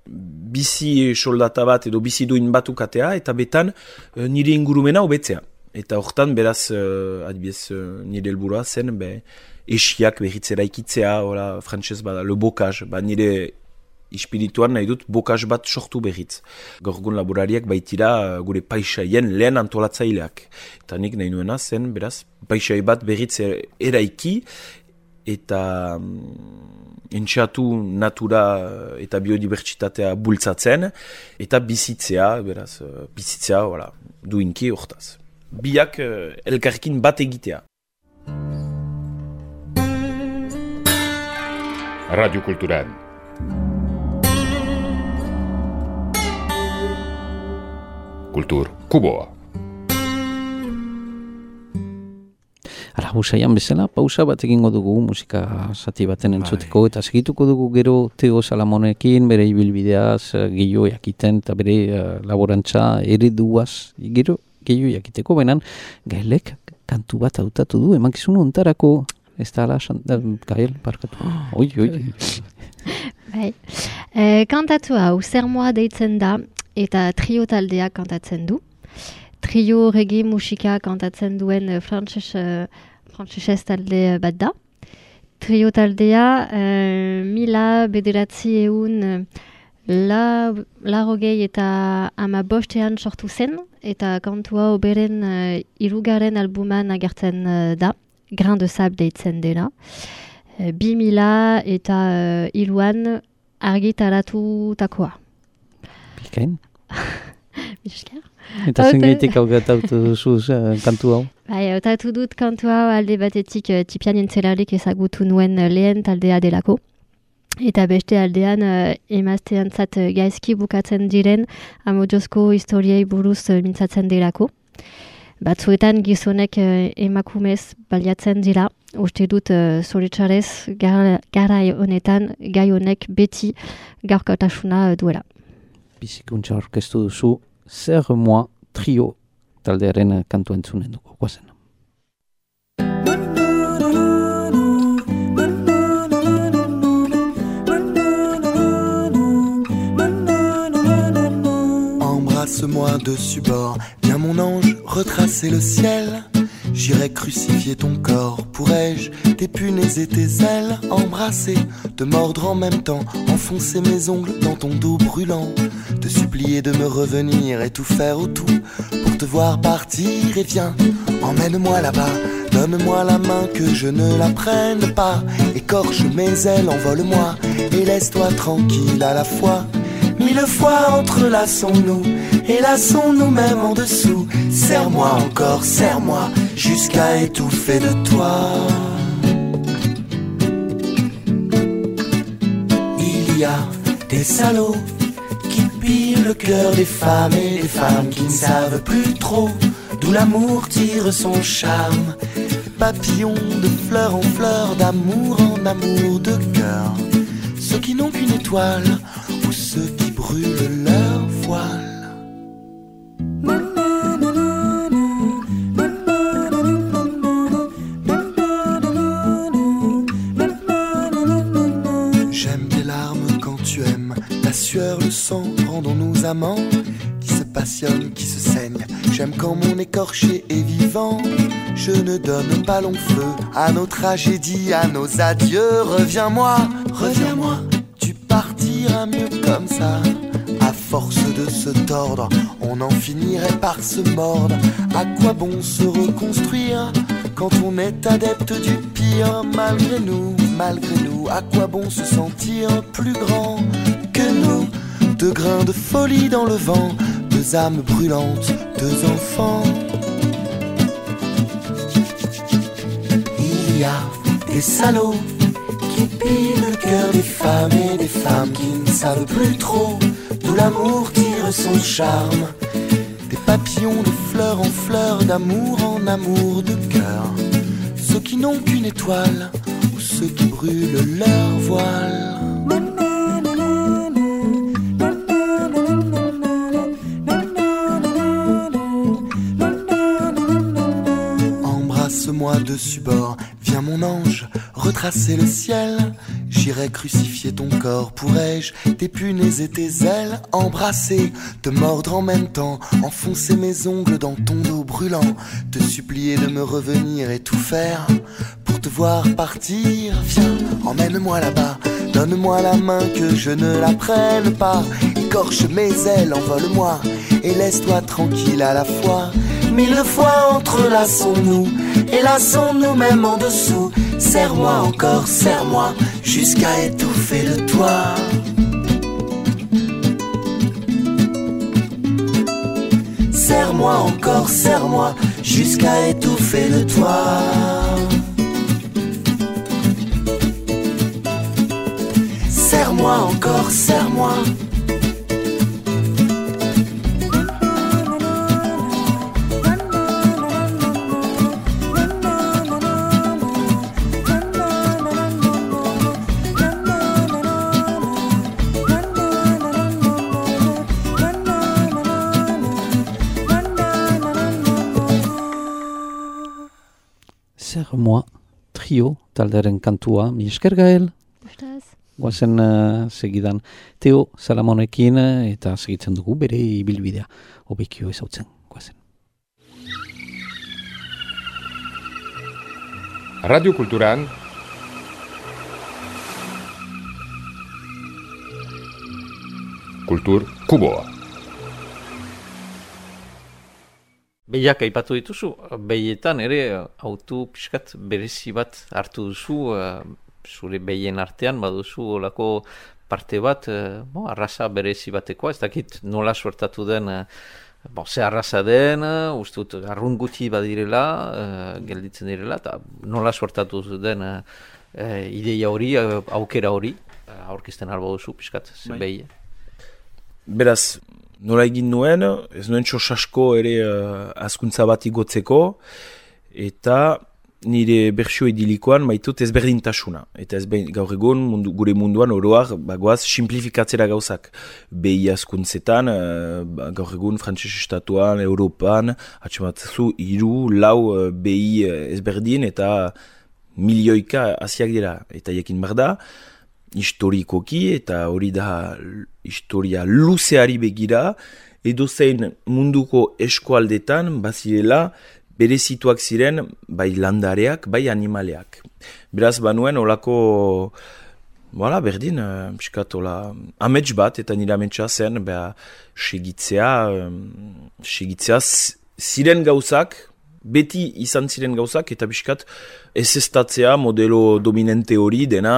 bizi soldata bat edo bizi duin batukatea, eta betan uh, nire ingurumena hobetzea. Eta hortan, beraz, uh, adibidez, uh, nire helburua zen, be, esiak behitzera ikitzea, ora, frantzez bada, le bokaz, ba, nire espirituan nahi dut bokaz bat sortu behitz. Gorgun laborariak baitira gure paisaien lehen antolatzaileak. Eta nik nahi nuena zen, beraz, paisai bat behitz eraiki eta um, entxatu natura eta biodibertsitatea bultzatzen eta bizitzea, beraz, bizitzea, voilà, duinki hortaz. biak uh, elkarrekin bat egitea. Radio Kulturan. Kultur Kuboa. Ara, usaian bezala, pausa bat egingo dugu musika zati baten entzuteko, eta segituko dugu gero Teo Salamonekin, bere ibilbideaz, gehiago jakiten, eta bere uh, laborantza ereduaz, gero gehiago jakiteko, benan, Gaelek kantu bat hautatu du, emankizun ontarako, ez da ala, Gael, parkatu. Oi, oi. Bai. E, kantatu hau, zer moa deitzen da, eta trio taldea kantatzen du. Trio regi musika kantatzen duen frantses, frantsesez talde bat da. Trio taldea uh, mila bederatzi eun la, larogei eta ama bostean sortu zen, eta kantua oberen uh, irugaren albuman agertzen uh, da, Grain de Sable deitzen dena. Uh, bi mila eta uh, iruan argitaratutakoa. Bikain? Bisker? Eta zengaitik hau gatautu duzu uh, kantu hau? Bai, hautatu dut kantu hau alde batetik uh, tipian entzelarik ezagutu nuen uh, lehen taldea delako. Eta beste aldean uh, emazteantzat uh, gaizki bukatzen diren amodiosko historiei buruz uh, mintzatzen delako. Batzuetan gizonek uh, emakumez baliatzen dira. Uste dut uh, zoritxarez gara, gara honetan gai honek beti gaurkotasuna uh, duela. Bizikuntza orkestu duzu, Zer Moi Trio taldearen kantu entzunen dugu, guazen. Embrasse-moi dessus bord, viens mon ange retracer le ciel. J'irai crucifier ton corps, pourrais-je t'épunaiser tes ailes, embrasser, te mordre en même temps, enfoncer mes ongles dans ton dos brûlant, te supplier de me revenir et tout faire au tout pour te voir partir. Et viens, emmène-moi là-bas, donne-moi la main que je ne la prenne pas, écorche mes ailes, envole-moi et laisse-toi tranquille à la fois. Mille fois entrelaçons-nous et lassons-nous même en dessous. Serre-moi encore, serre-moi jusqu'à étouffer de toi. Il y a des salauds qui pillent le cœur des femmes et des femmes qui ne savent plus trop d'où l'amour tire son charme. Papillons de fleur en fleur, d'amour en amour, de cœur. Ceux qui n'ont qu'une étoile ou ceux qui brûlent leur voile. J'aime tes larmes quand tu aimes, la sueur, le sang, rendons-nous amants qui se passionnent, qui se saignent. J'aime quand mon écorché est vivant. Je ne donne pas long feu à nos tragédies, à nos adieux. Reviens-moi, reviens-moi, tu partiras mieux comme ça. À force de se tordre, on en finirait par se mordre. À quoi bon se reconstruire quand on est adepte du pire? Malgré nous, malgré nous, à quoi bon se sentir plus grand que nous? Deux grains de folie dans le vent, deux âmes brûlantes, deux enfants. Il y a des salauds qui pillent le cœur des femmes et des femmes qui ne savent plus trop d'où l'amour tire son charme. Des papillons de fleur en fleur, d'amour en amour, de cœur. Ceux qui n'ont qu'une étoile ou ceux qui brûlent leur voile. Embrasse-moi dessus bord, viens mon ange, retracer le ciel. J'irai crucifier ton corps, pourrais-je t'épunaiser tes ailes, embrasser, te mordre en même temps, enfoncer mes ongles dans ton dos brûlant, te supplier de me revenir et tout faire pour te voir partir. Viens, emmène-moi là-bas, donne-moi la main que je ne la prenne pas, écorche mes ailes, envole-moi et laisse-toi tranquille à la fois. Mille fois entrelaçons-nous et lassons-nous même en dessous. Serre-moi encore, serre-moi jusqu'à étouffer de toi. Serre-moi Serre-moi encore, serre-moi, jusqu'à étouffer le toit. Serre-moi encore, serre-moi. Serre-moi, trio, talderen kantua, mi esker Gael. Ustaz. Guazen uh, segidan Teo Salamonekin uh, eta segitzen dugu bere ibilbidea. Hobekio ezautzen, guazen. Radio Kulturan Kultur Kuboa. Behiak aipatu dituzu, behietan ere autu pixkat berezi bat hartu duzu, uh, zure behien artean baduzu olako parte bat, uh, bo, arraza berezi batekoa, ez dakit nola suertatu den, uh, bo, ze arraza den, uh, uste dut arrun guti badirela, uh, gelditzen direla, eta nola suertatu den uh, uh, ideia hori, uh, aukera hori, uh, aurkizten albo duzu pixkat, ze behie. Beraz, nola egin nuen, ez nuen txosasko ere uh, azkuntza bat igotzeko, eta nire bertsio idilikoan maitut ezberdintasuna. Eta ez gaur egun mundu, gure munduan oroak bagoaz simplifikatzera gauzak. Behi azkuntzetan, uh, gaur egun frantses estatuan, Europan, atxematzu hiru, lau uh, behi ezberdin eta milioika hasiak dira. Eta jakin behar da, historikoki eta hori da historia luzeari begira, edo zein munduko eskualdetan bazirela berezituak ziren bai landareak, bai animaleak. Beraz banuen olako, voilà, berdin, piskat ola, amets bat eta nire ametsa zen, beha, segitzea, segitzea ziren gauzak, beti izan ziren gauzak, eta biskat ez estatzea modelo dominante hori dena,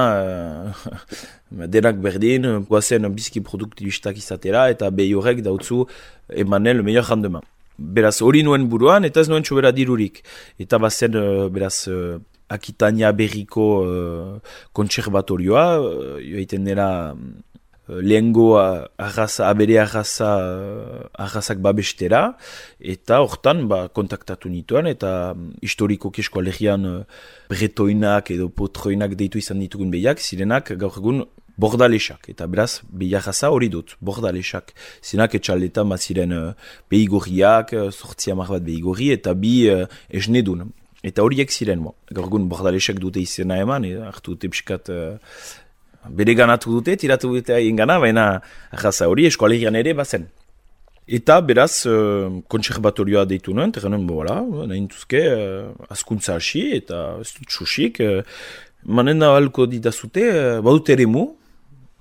denak berdin, guazen biziki produktibistak izatera, eta behi horrek dautzu emanen le meilleur rendement. Beraz hori nuen buruan, eta ez nuen txobera dirurik. Eta bazen, beraz, Akitania berriko uh, kontserbatorioa, uh, joaiten dela uh, lehengo arraza, abere arraza, uh, arrazak babestera, eta hortan ba, kontaktatu nituen, eta um, historiko kesko alegian uh, bretoinak edo potroinak deitu izan ditugun behiak, zirenak gaur egun bordalesak, eta beraz behi arraza hori dut, bordalesak. Zirenak etxaldetan bat ziren uh, behi gorriak, uh, sortzi hamar bat behi gorri, eta bi uh, esnedun. Eta horiek ziren, mo. Gaur egun bordalesek dute izena eman, e, hartu dute pixkat uh, bere ganatu dute, tiratu dute haien gana, baina arraza hori eskoalegian ere bazen. Eta beraz, uh, kontserbatorioa deitu nuen, terren nuen, bola, nahin duzke, uh, askuntza hasi, eta ez dut txusik, uh, manen da halko ditazute, uh, badut ere mu,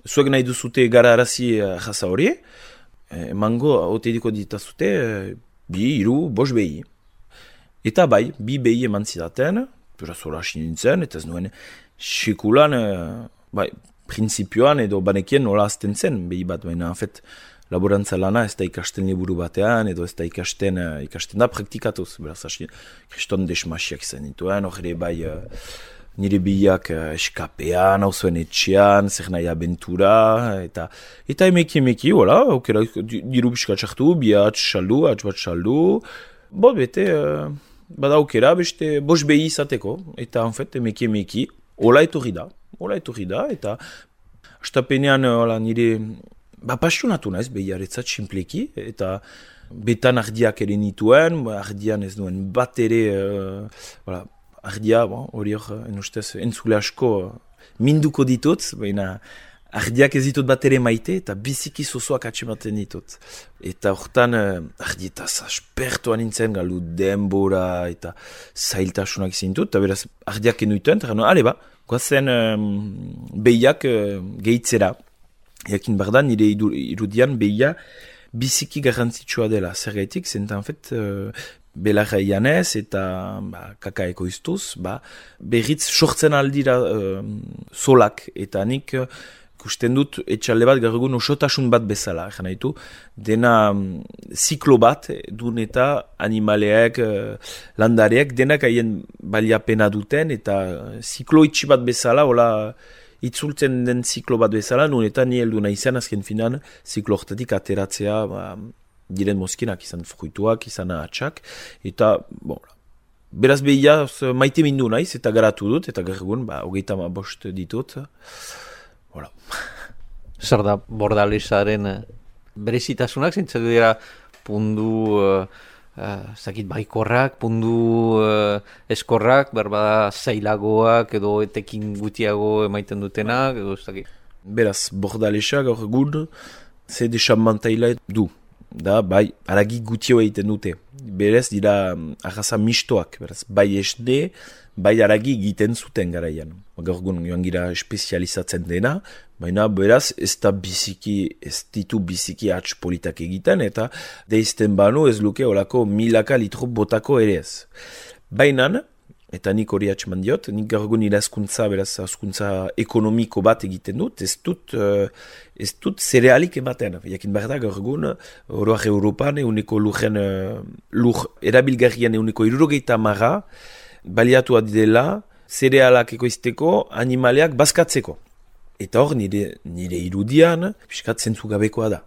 zuek nahi duzute gara arazi arraza hori, uh, emango haute diko ditazute, uh, bi, iru, bos behi. Eta bai, bi behi eman zidaten, beraz hori hasi nintzen, eta ez nuen sekulan, bai, prinsipioan edo banekien nola azten zen behi bat, baina, en fet, laborantza lana ez da ikasten liburu batean, edo ez da ikasten, ikasten da praktikatuz, beraz hasi, kriston desmasiak izan dituen, hori bai, nire biak eskapean, hau zuen etxean, zer nahi abentura, eta eta emeki emeki, wala, aukera, diru biskat sartu, bi atx saldu, atx bat saldu, bo, bete, bada aukera, beste, bos behi izateko, eta, en fet, emeki emeki, hola etorri da, hola etorri da, eta astapenean, hola, nire, ba, pasionatu naiz behiaretzat simpleki, eta betan ardiak ere nituen, ardian ez duen bat ere, uh, hola, ardia, hori bon, hor, enustez, entzule asko minduko ditut, baina ardiak ez ditut bat ere maite, eta biziki zozoak atxematen ditut. Eta hortan, uh, ardietaz aspertuan nintzen, galu denbora, eta zailtasunak izin dut, eta beraz, ardiak enuituen, eta gano, ale ba, goazen um, behiak uh, gehitzera. Jakin behar da, nire irudian behia biziki garrantzitsua dela. Zer gaitik, zentan fet, uh, belarra ianez eta ba, kakaeko iztuz, ba, berriz sortzen aldira uh, solak, eta nik uh, ikusten dut etxalde bat gaur egun osotasun bat bezala, egan nahi du, dena um, ziklo bat dun eta animaleak, uh, landareak, denak haien baliapena duten, eta ziklo itxi bat bezala, hola, itzultzen den ziklo bat bezala, nun eta ni heldu nahi zen azken finan, ziklo hortatik ateratzea, ba, diren mozkinak, izan fruituak, izan ahatsak, eta, bon, beraz behia maite mindu naiz, eta garatu dut, eta gaur egun, ba, hogeita ma bost ditut, voilà. Zer da Bordalezaren uh, berezitasunak, zintzatu dira pundu, uh, uh, zakit baikorrak, pundu uh, eskorrak, berbada zailagoak, edo etekin gutiago emaiten dutenak, edo ez dakit. Beraz, Bordaleza gaur egun, ze desamantaila du. Da, bai, aragi gutio egiten dute. Berez, dira arraza mistoak, beraz, bai esne, bai aragi egiten zuten garaian. Gaur egun joan gira espezializatzen dena, baina beraz, ez da biziki, ez ditu biziki hatz politak egiten, eta deizten banu ez luke olako milaka litro botako ere ez. Bainan, eta nik hori atxeman diot, nik gaur egun nire askuntza, beraz, askuntza ekonomiko bat egiten dut, ez dut, uh, ez dut zerealik ematen. Jakin behar da, gaur egun, oroak Europan, euneko lujen, uh, lur erabilgarrian euneko irurogeita marra, baliatu adidela, zerealak ekoizteko, animaleak bazkatzeko. Eta hor, nire, nire irudian, piskat zentzu gabekoa da.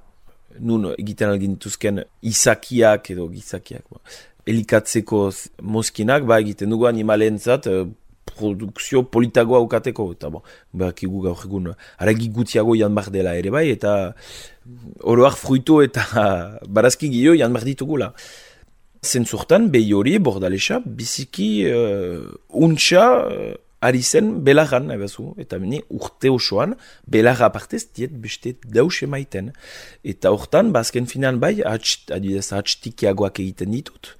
Nun egiten algin dituzken izakiak edo gizakiak, ba. Elikatzeko mozkinak, ba, egiten dugu animalentzat eh, produkzio politagoa ukateko. Eta bon, berakigu gaur egun, aragi gutiago jan bar dela ere bai, eta oroak fruitu eta barazki gio jan bar ditugula. Zentzurtan, behi hori, Bordaleza, biziki uh, untxa uh, ari zen belarran, ebazu, eta meni urte osoan, belarra apartez, diet beste daus emaiten. Eta hortan, bazken finan bai, adibidez, atxtikiagoak egiten ditut,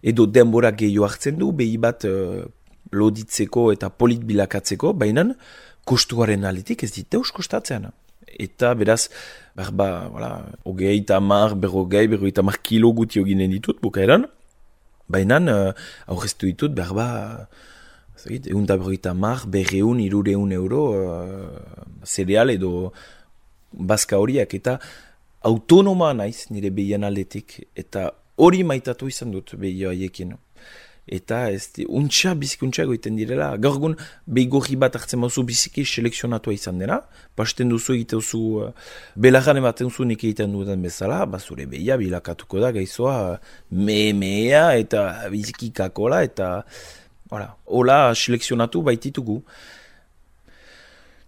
edo denbora gehiago hartzen du, behi bat uh, loditzeko eta polit bilakatzeko, baina kostuaren aletik ez dit daus kostatzen. Eta beraz, berba, voilà, ogei eta mar, berrogei, berrogei eta mar kilo guti oginen ditut, bukaeran, baina uh, aurreztu ditut, berba, egun da berroita mar, berreun, irureun euro uh, zereal edo bazka horiak, eta autonoma naiz nire behien aldetik, eta hori maitatu izan dut behio haiekin. Eta ez di, untxa, biziki untxa goiten direla, gaur egun behi gorri bat hartzen mauzu biziki selekzionatua izan dena, pasten duzu egiteuzu, uh, belarran ematen zu nik egiten duten bezala, bazure behia bilakatuko da gaizoa me-mea eta biziki kakola, eta Hola, hola selekzionatu baititugu.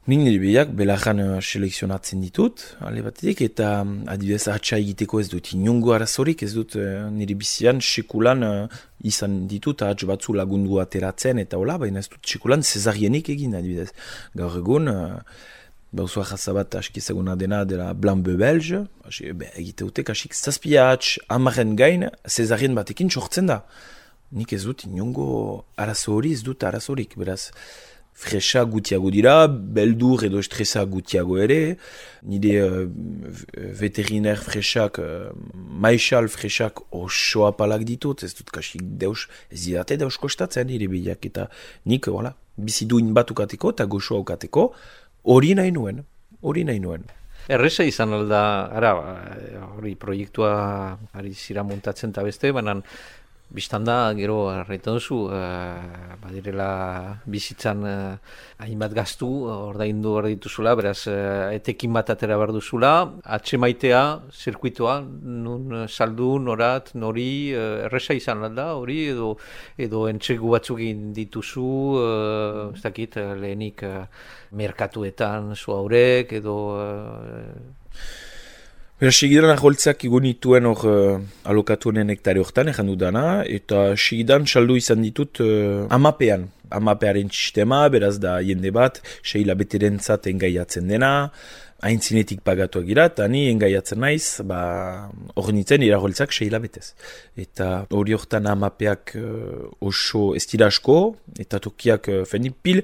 Nik nire behiak belarran uh, selekzionatzen ditut, ale batetik, eta um, adibidez atxa egiteko ez dut inungo arazorik, ez dut uh, nire bizian sekulan uh, izan ditut, atx batzu lagundu ateratzen, eta hola, baina ez dut sekulan zezarienik egin, adibidez. Gaur egun, uh, bauzu ahazabat askizaguna dena dela Blanc Belge, egiteutek asik zazpia atx amaren gain zezarien batekin sortzen da. Nik ez dut inongo arazo hori, ez dut arazorik, beraz, fresa gutiago dira, beldur edo estresa gutiago ere, nire uh, veteriner fresak, uh, maixal fresak oso apalak ditut, ez dut kasik deus, ez didate deus kostatzen nire behiak, eta nik, voilà, biziduin bat ukateko eta goxoa ukateko, hori nahi nuen, hori nahi nuen. Erreza izan alda, ara, hori proiektua ari zira montatzen eta beste, baina bistan da, gero, arretu duzu, uh, badirela bizitzan uh, hainbat gaztu, ordaindu hor dituzula, beraz, uh, etekin bat atera behar duzula, atxe maitea, zirkuitoa, nun saldu, norat, nori, uh, erreza izan alda, hori, edo, edo entxegu batzuk dituzu, uh, ez dakit, lehenik uh, merkatuetan, zu haurek, edo... Uh, Beraz, segidan aholtzak egon nituen hor uh, alokatuenen hektare hortan, ejan dudana, eta segidan saldu izan ditut uh, amapean. Amapearen sistema, beraz da jende bat, seila beterentzat engaiatzen dena, haintzinetik pagatuak gira, eta ni engaiatzen naiz, ba, hor nintzen iraholtzak seila betez. Eta hori hortan amapeak uh, oso ez dira asko, eta tokiak uh, fendi pil,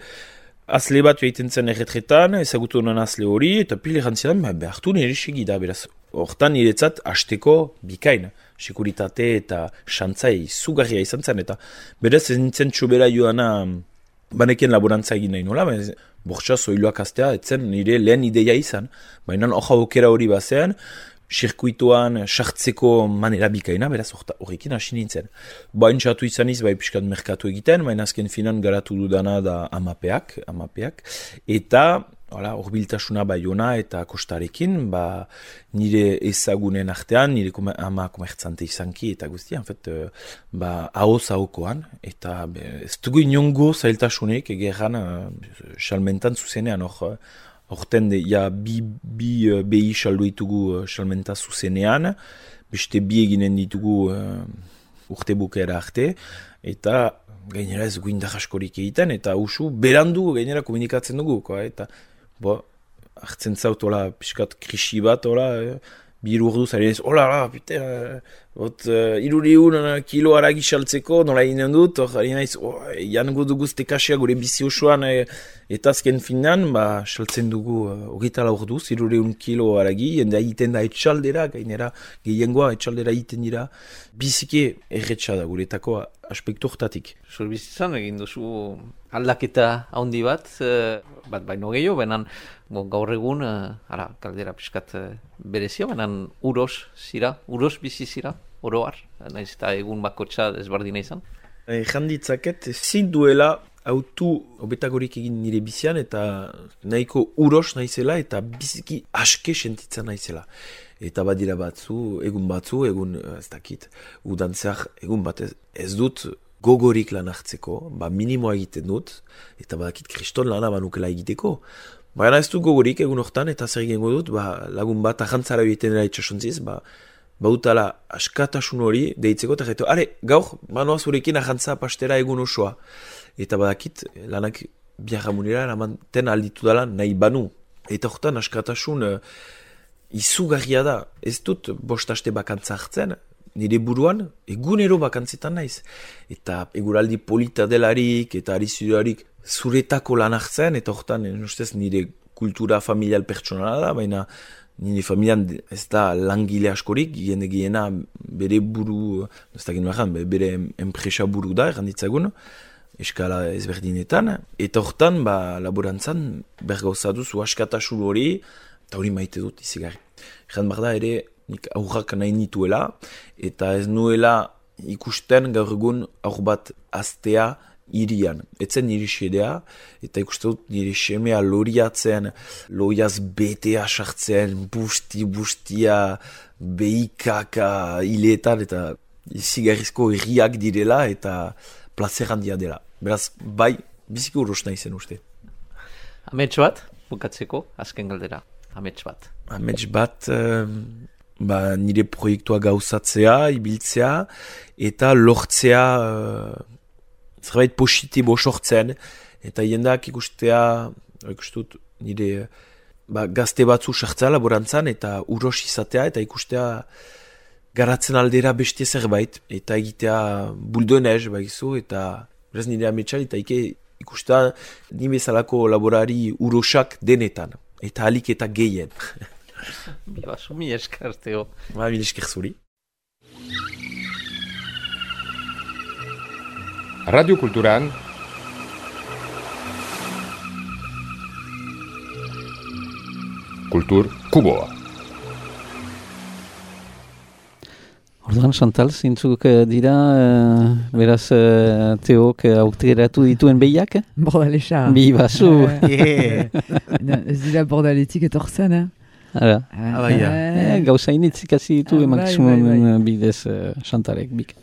azle bat egiten zen erretretan, ezagutu honan azle hori, eta pil erantzidan, behartu nire segida, beraz, hortan niretzat hasteko bikain, sekuritate eta xantzai zugarria izan zen, eta beraz ez nintzen txobera joana banekien laborantza egin nahi nola, bortxa zoiloak astea, etzen nire lehen ideia izan. Baina hoja aukera hori bazen, sirkuituan sartzeko manera bikaina, beraz horrekin hasi nintzen. Bain txatu izaniz, bai piskat merkatu egiten, baina azken finan garatu dudana da amapeak, amapeak. Eta horbiltasuna Baiona eta Kostarekin, ba, nire ezagunen artean, nire kome, ama komertzante izanki eta guztia, en fait, ba, ahoz ahokoan, eta be, ez dugu inongo zailtasunek egeran salmentan zuzenean, hor, horten de, ja, bi, bi uh, behi saldu ditugu uh, salmenta zuzenean, beste bi eginen ditugu uh, urte bukera arte, eta gainera ez guindar askorik egiten, eta usu berandu gainera komunikatzen dugu, ko, eta bo, hartzen zaut, hola, piskat krisi bat, hola, eh, biru urdu zari ez, hola, hola, pite, uh, ot, uh, iruriun uh, kilo aragi saltzeko, nola inen dut, hor, ari naiz, oh, jan gudu guzte kasia gure bizi osoan, eh, eta azken finan, ba, saltzen dugu, uh, ogitala orduz, iruriun kilo aragi, jende egiten da etxaldera, gainera, gehiengoa etxaldera egiten dira, biziki erretxa da guretako aspektu hortatik. Zurbizitzan egin duzu aldaketa handi bat, eh, bat baino gehiago, benan bon, gaur egun, eh, ara, kaldera piskat eh, berezia, benan uros zira, uros bizi zira, oroar, naiz eta egun bakotxa ezbardina izan. Ejan ditzaket, ezin duela autu obetagorik egin nire bizian, eta nahiko uros naizela, eta biziki aske sentitzen naizela. Eta badira batzu, egun batzu, egun, ez dakit, udantzeak, egun bat ez, ez dut gogorik lan hartzeko, ba minimoa egiten dut, eta badakit kriston lana banukela egiteko. Baina ez dut gogorik egun hortan, eta zer egingo dut, ba, lagun bat ajantzara egiten dela itxasontziz, ba, bautala askatasun hori deitzeko, eta gaitu, are, gaur, manoa zurekin ajantza pastera egun osoa. Eta badakit, lanak biarramunera, eramanten alditu dela nahi banu. Eta hortan askatasun uh, izugarria da, ez dut bostaste bakantza hartzen, nire buruan egunero bakantzetan naiz. Eta eguraldi polita delarik eta arizurarik zuretako lan hartzen, eta hortan ustez nire kultura familial pertsonala da, baina nire familian ez da langile askorik, jende gehiena bere buru, ez da genuen bere enpresa buru da, erranditzagun, eskala ezberdinetan, eta hortan ba, laborantzan bergauzatuz askatasun hori, eta hori maite dut izigarri. Egan behar da ere, nik aurrak nahi nituela, eta ez nuela ikusten gaur egun aur bat aztea irian. Etzen nire xedea, eta ikusten dut nire semea loriatzen, loiaz betea sartzen, busti, bustia, behikaka, hiletan, eta izigarrizko herriak direla, eta plazer handia dela. Beraz, bai, biziki uros nahi zen uste. Amets bat, bukatzeko, azken galdera. Amets bat. Amets bat, um, ba, nire proiektua gauzatzea, ibiltzea, eta lortzea uh, zerbait positibo sortzen, eta jendak ikustea, ikustut, nire ba, gazte batzu sartzea laborantzan, eta uros izatea, eta ikustea garatzen aldera beste zerbait, eta egitea buldoenez, baizu, eta beraz nire ametsa, eta ike ikustea nire bezalako laborari urosak denetan, eta alik eta gehien. Bibaso, mi eskarteo. Ba, mi esker zuri. Radio Kulturan Kultur Kuboa. Orduan, Chantal, zintzuk dira, uh, beraz, uh, Teok uh, aukeratu dituen behiak? Bordalesa. Bibasu. Yeah. Ez dira bordaletik etortzen, eh? Ara. Ah, bai, ja. Eh, gauza initzik hasi ditu Ah, emakizumon bai, bai, bai. bidez uh, Chantalek bik.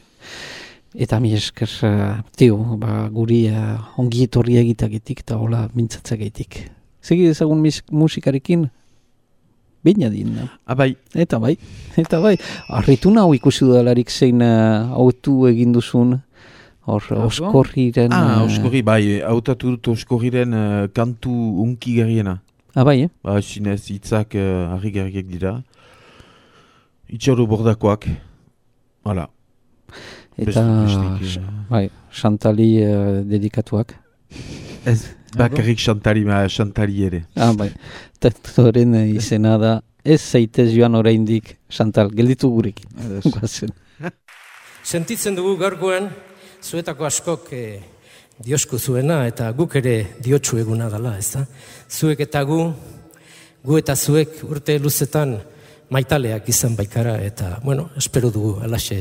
Eta mi esker, uh, Teo, ba, guri uh, ongi etorri egitagetik eta hola mintzatzagetik. Segi ezagun musikarekin? Beina din. Ah, bai. Eta bai, eta bai. Arritu nahu ikusi dudalarik zein uh, autu egin duzun, hor, Ah, oskorriren... Ah, uh, oskorri, bai, hautatu dut oskorriren uh, kantu unki garriena. Ah, bai, eh? Ba, sinez, hitzak uh, harri garriak dira. Itxauro bordakoak. Hala. Eta, Bestik, uh, bai, Chantali uh, dedikatuak. ez, bakarrik Chantali, ma Chantali ere. Ah, bai, tektoren izena da, ez zaitez joan oraindik, Chantal, gelditu gurekin. Guazen. Sentitzen dugu gaurkoan, zuetako askok eh, diosku zuena eta guk ere diotsu eguna dela, ez da? Zuek eta gu, gu eta zuek urte luzetan maitaleak izan baikara eta, bueno, espero dugu alaxe,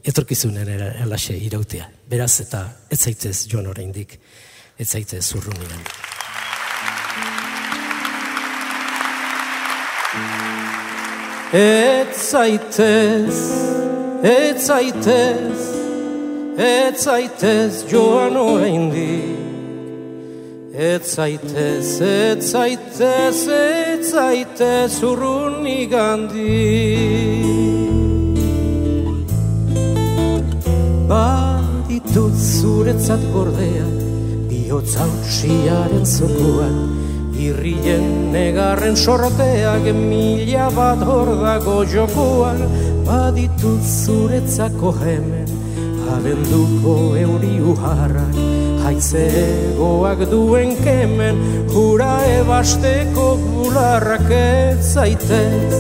etorkizunen alaxe irautea. Beraz eta ez zaitez joan oraindik, ez zaitez urrunian. Ez zaitez, ez zaitez, ez zaitez joan oraindik. Ez zaitez, ez zaitez, ez zaitez urrunik handik. Baditut zuretzat gordea, bihotz hautsiaren zokoan, irrien negarren sorteak mila bat hor dago jokoan. Baditut zuretzako hemen, abenduko euri uharrak, haize egoak duen kemen, hura ebasteko bularrak. Ez zaitez,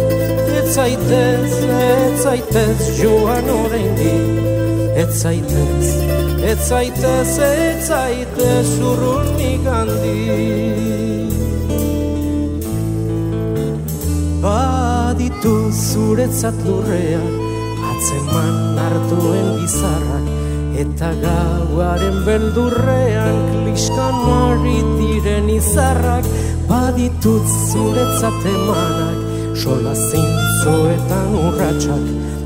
ez zaitez, ez zaitez joan oraindik. Ez zaitez, ez zaitez, ez zaitez urrunik handik. Baditu zuretzat lurrean, atzeman hartuen bizarrak, eta gauaren beldurrean kliskan maritiren izarrak. Baditut zuretzat emanak, sola zintzoetan urratsak,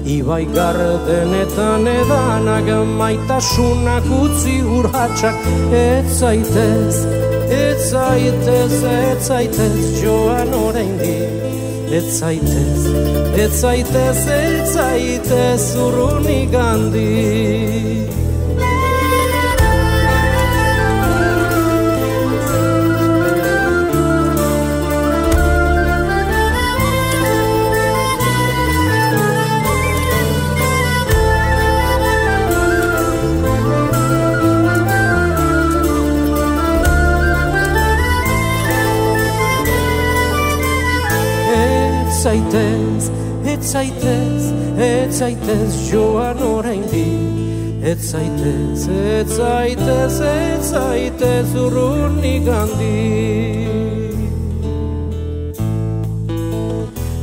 ibai gardenetan edanak, maitasunak utzi urratsak. Ez zaitez, ez zaitez, ez zaitez joan oraindik. Ez zaitez, ez zaitez, ez zaitez urrunik handik. Ez zaitez, ez zaitez, ez zaitez joan oraindik. Ez zaitez, ez zaitez, ez zaitez urrunik handik.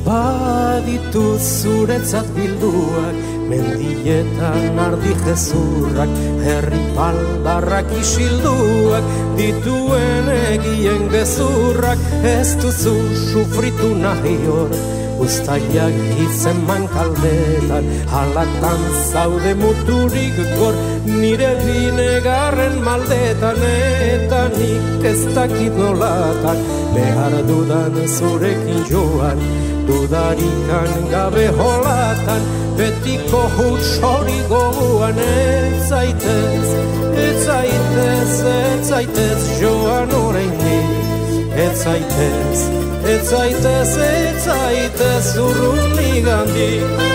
Baditut zuretzat bilduak, mendietan ardi jezurrak, herri baldarrak isilduak, dituen egien gezurrak. Ez duzu sufritu nahi hor, uztaiak hitzeman kaldetan, halatan zaude muturik gor, nire binegarren maldetan. Eta nik ez dakit nolatan, behar dudan zurekin joan, dudarikan gabe holatan, betiko huts hori goguan. Ez zaitez, ez zaitez, ez zaitez joan oraindik. Ez zaitez, ez zaitez, ez zaitez urrunik handik.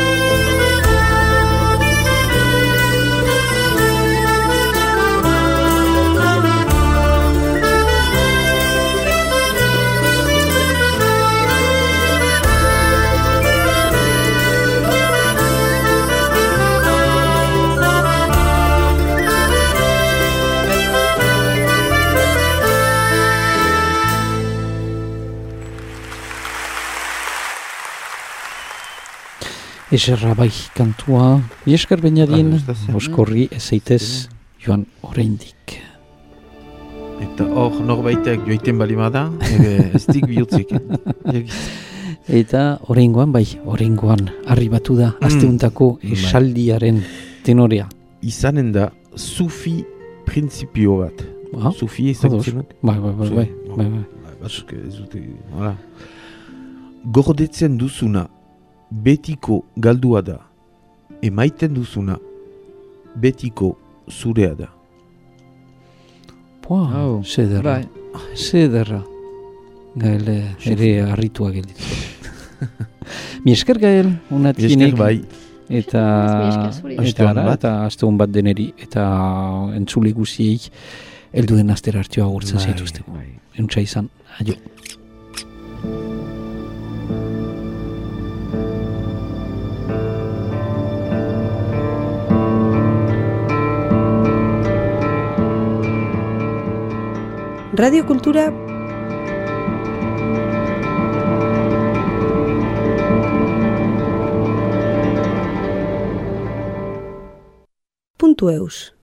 Eserra bai kantua, biesker bainadien, oskorri ez zaitez joan oraindik. Eta hor norbaitek joiten balimada, ez dik bihotzik. Eta oraingoan bai, oraingoan arribatu da, asteuntako esaldiaren tenorea. Izanen da, sufi printzipio bat. Sufi ezagutzen bat? Bai, bai, bai, bai. Batzuk ez dute, hala. Gordetzen duzuna, betiko galdua da, emaiten duzuna, betiko zurea da. Pua, zederra, zederra. Gael ere harritua gelditu. Mi esker Gael, unatienek. Esker bai. Eta eta ara, eta aste hon bat deneri, eta entzule guziei, heldu den astera hartioa gurtzen zaituzteko. Enuntza izan, aio. Radiokultura puntu eus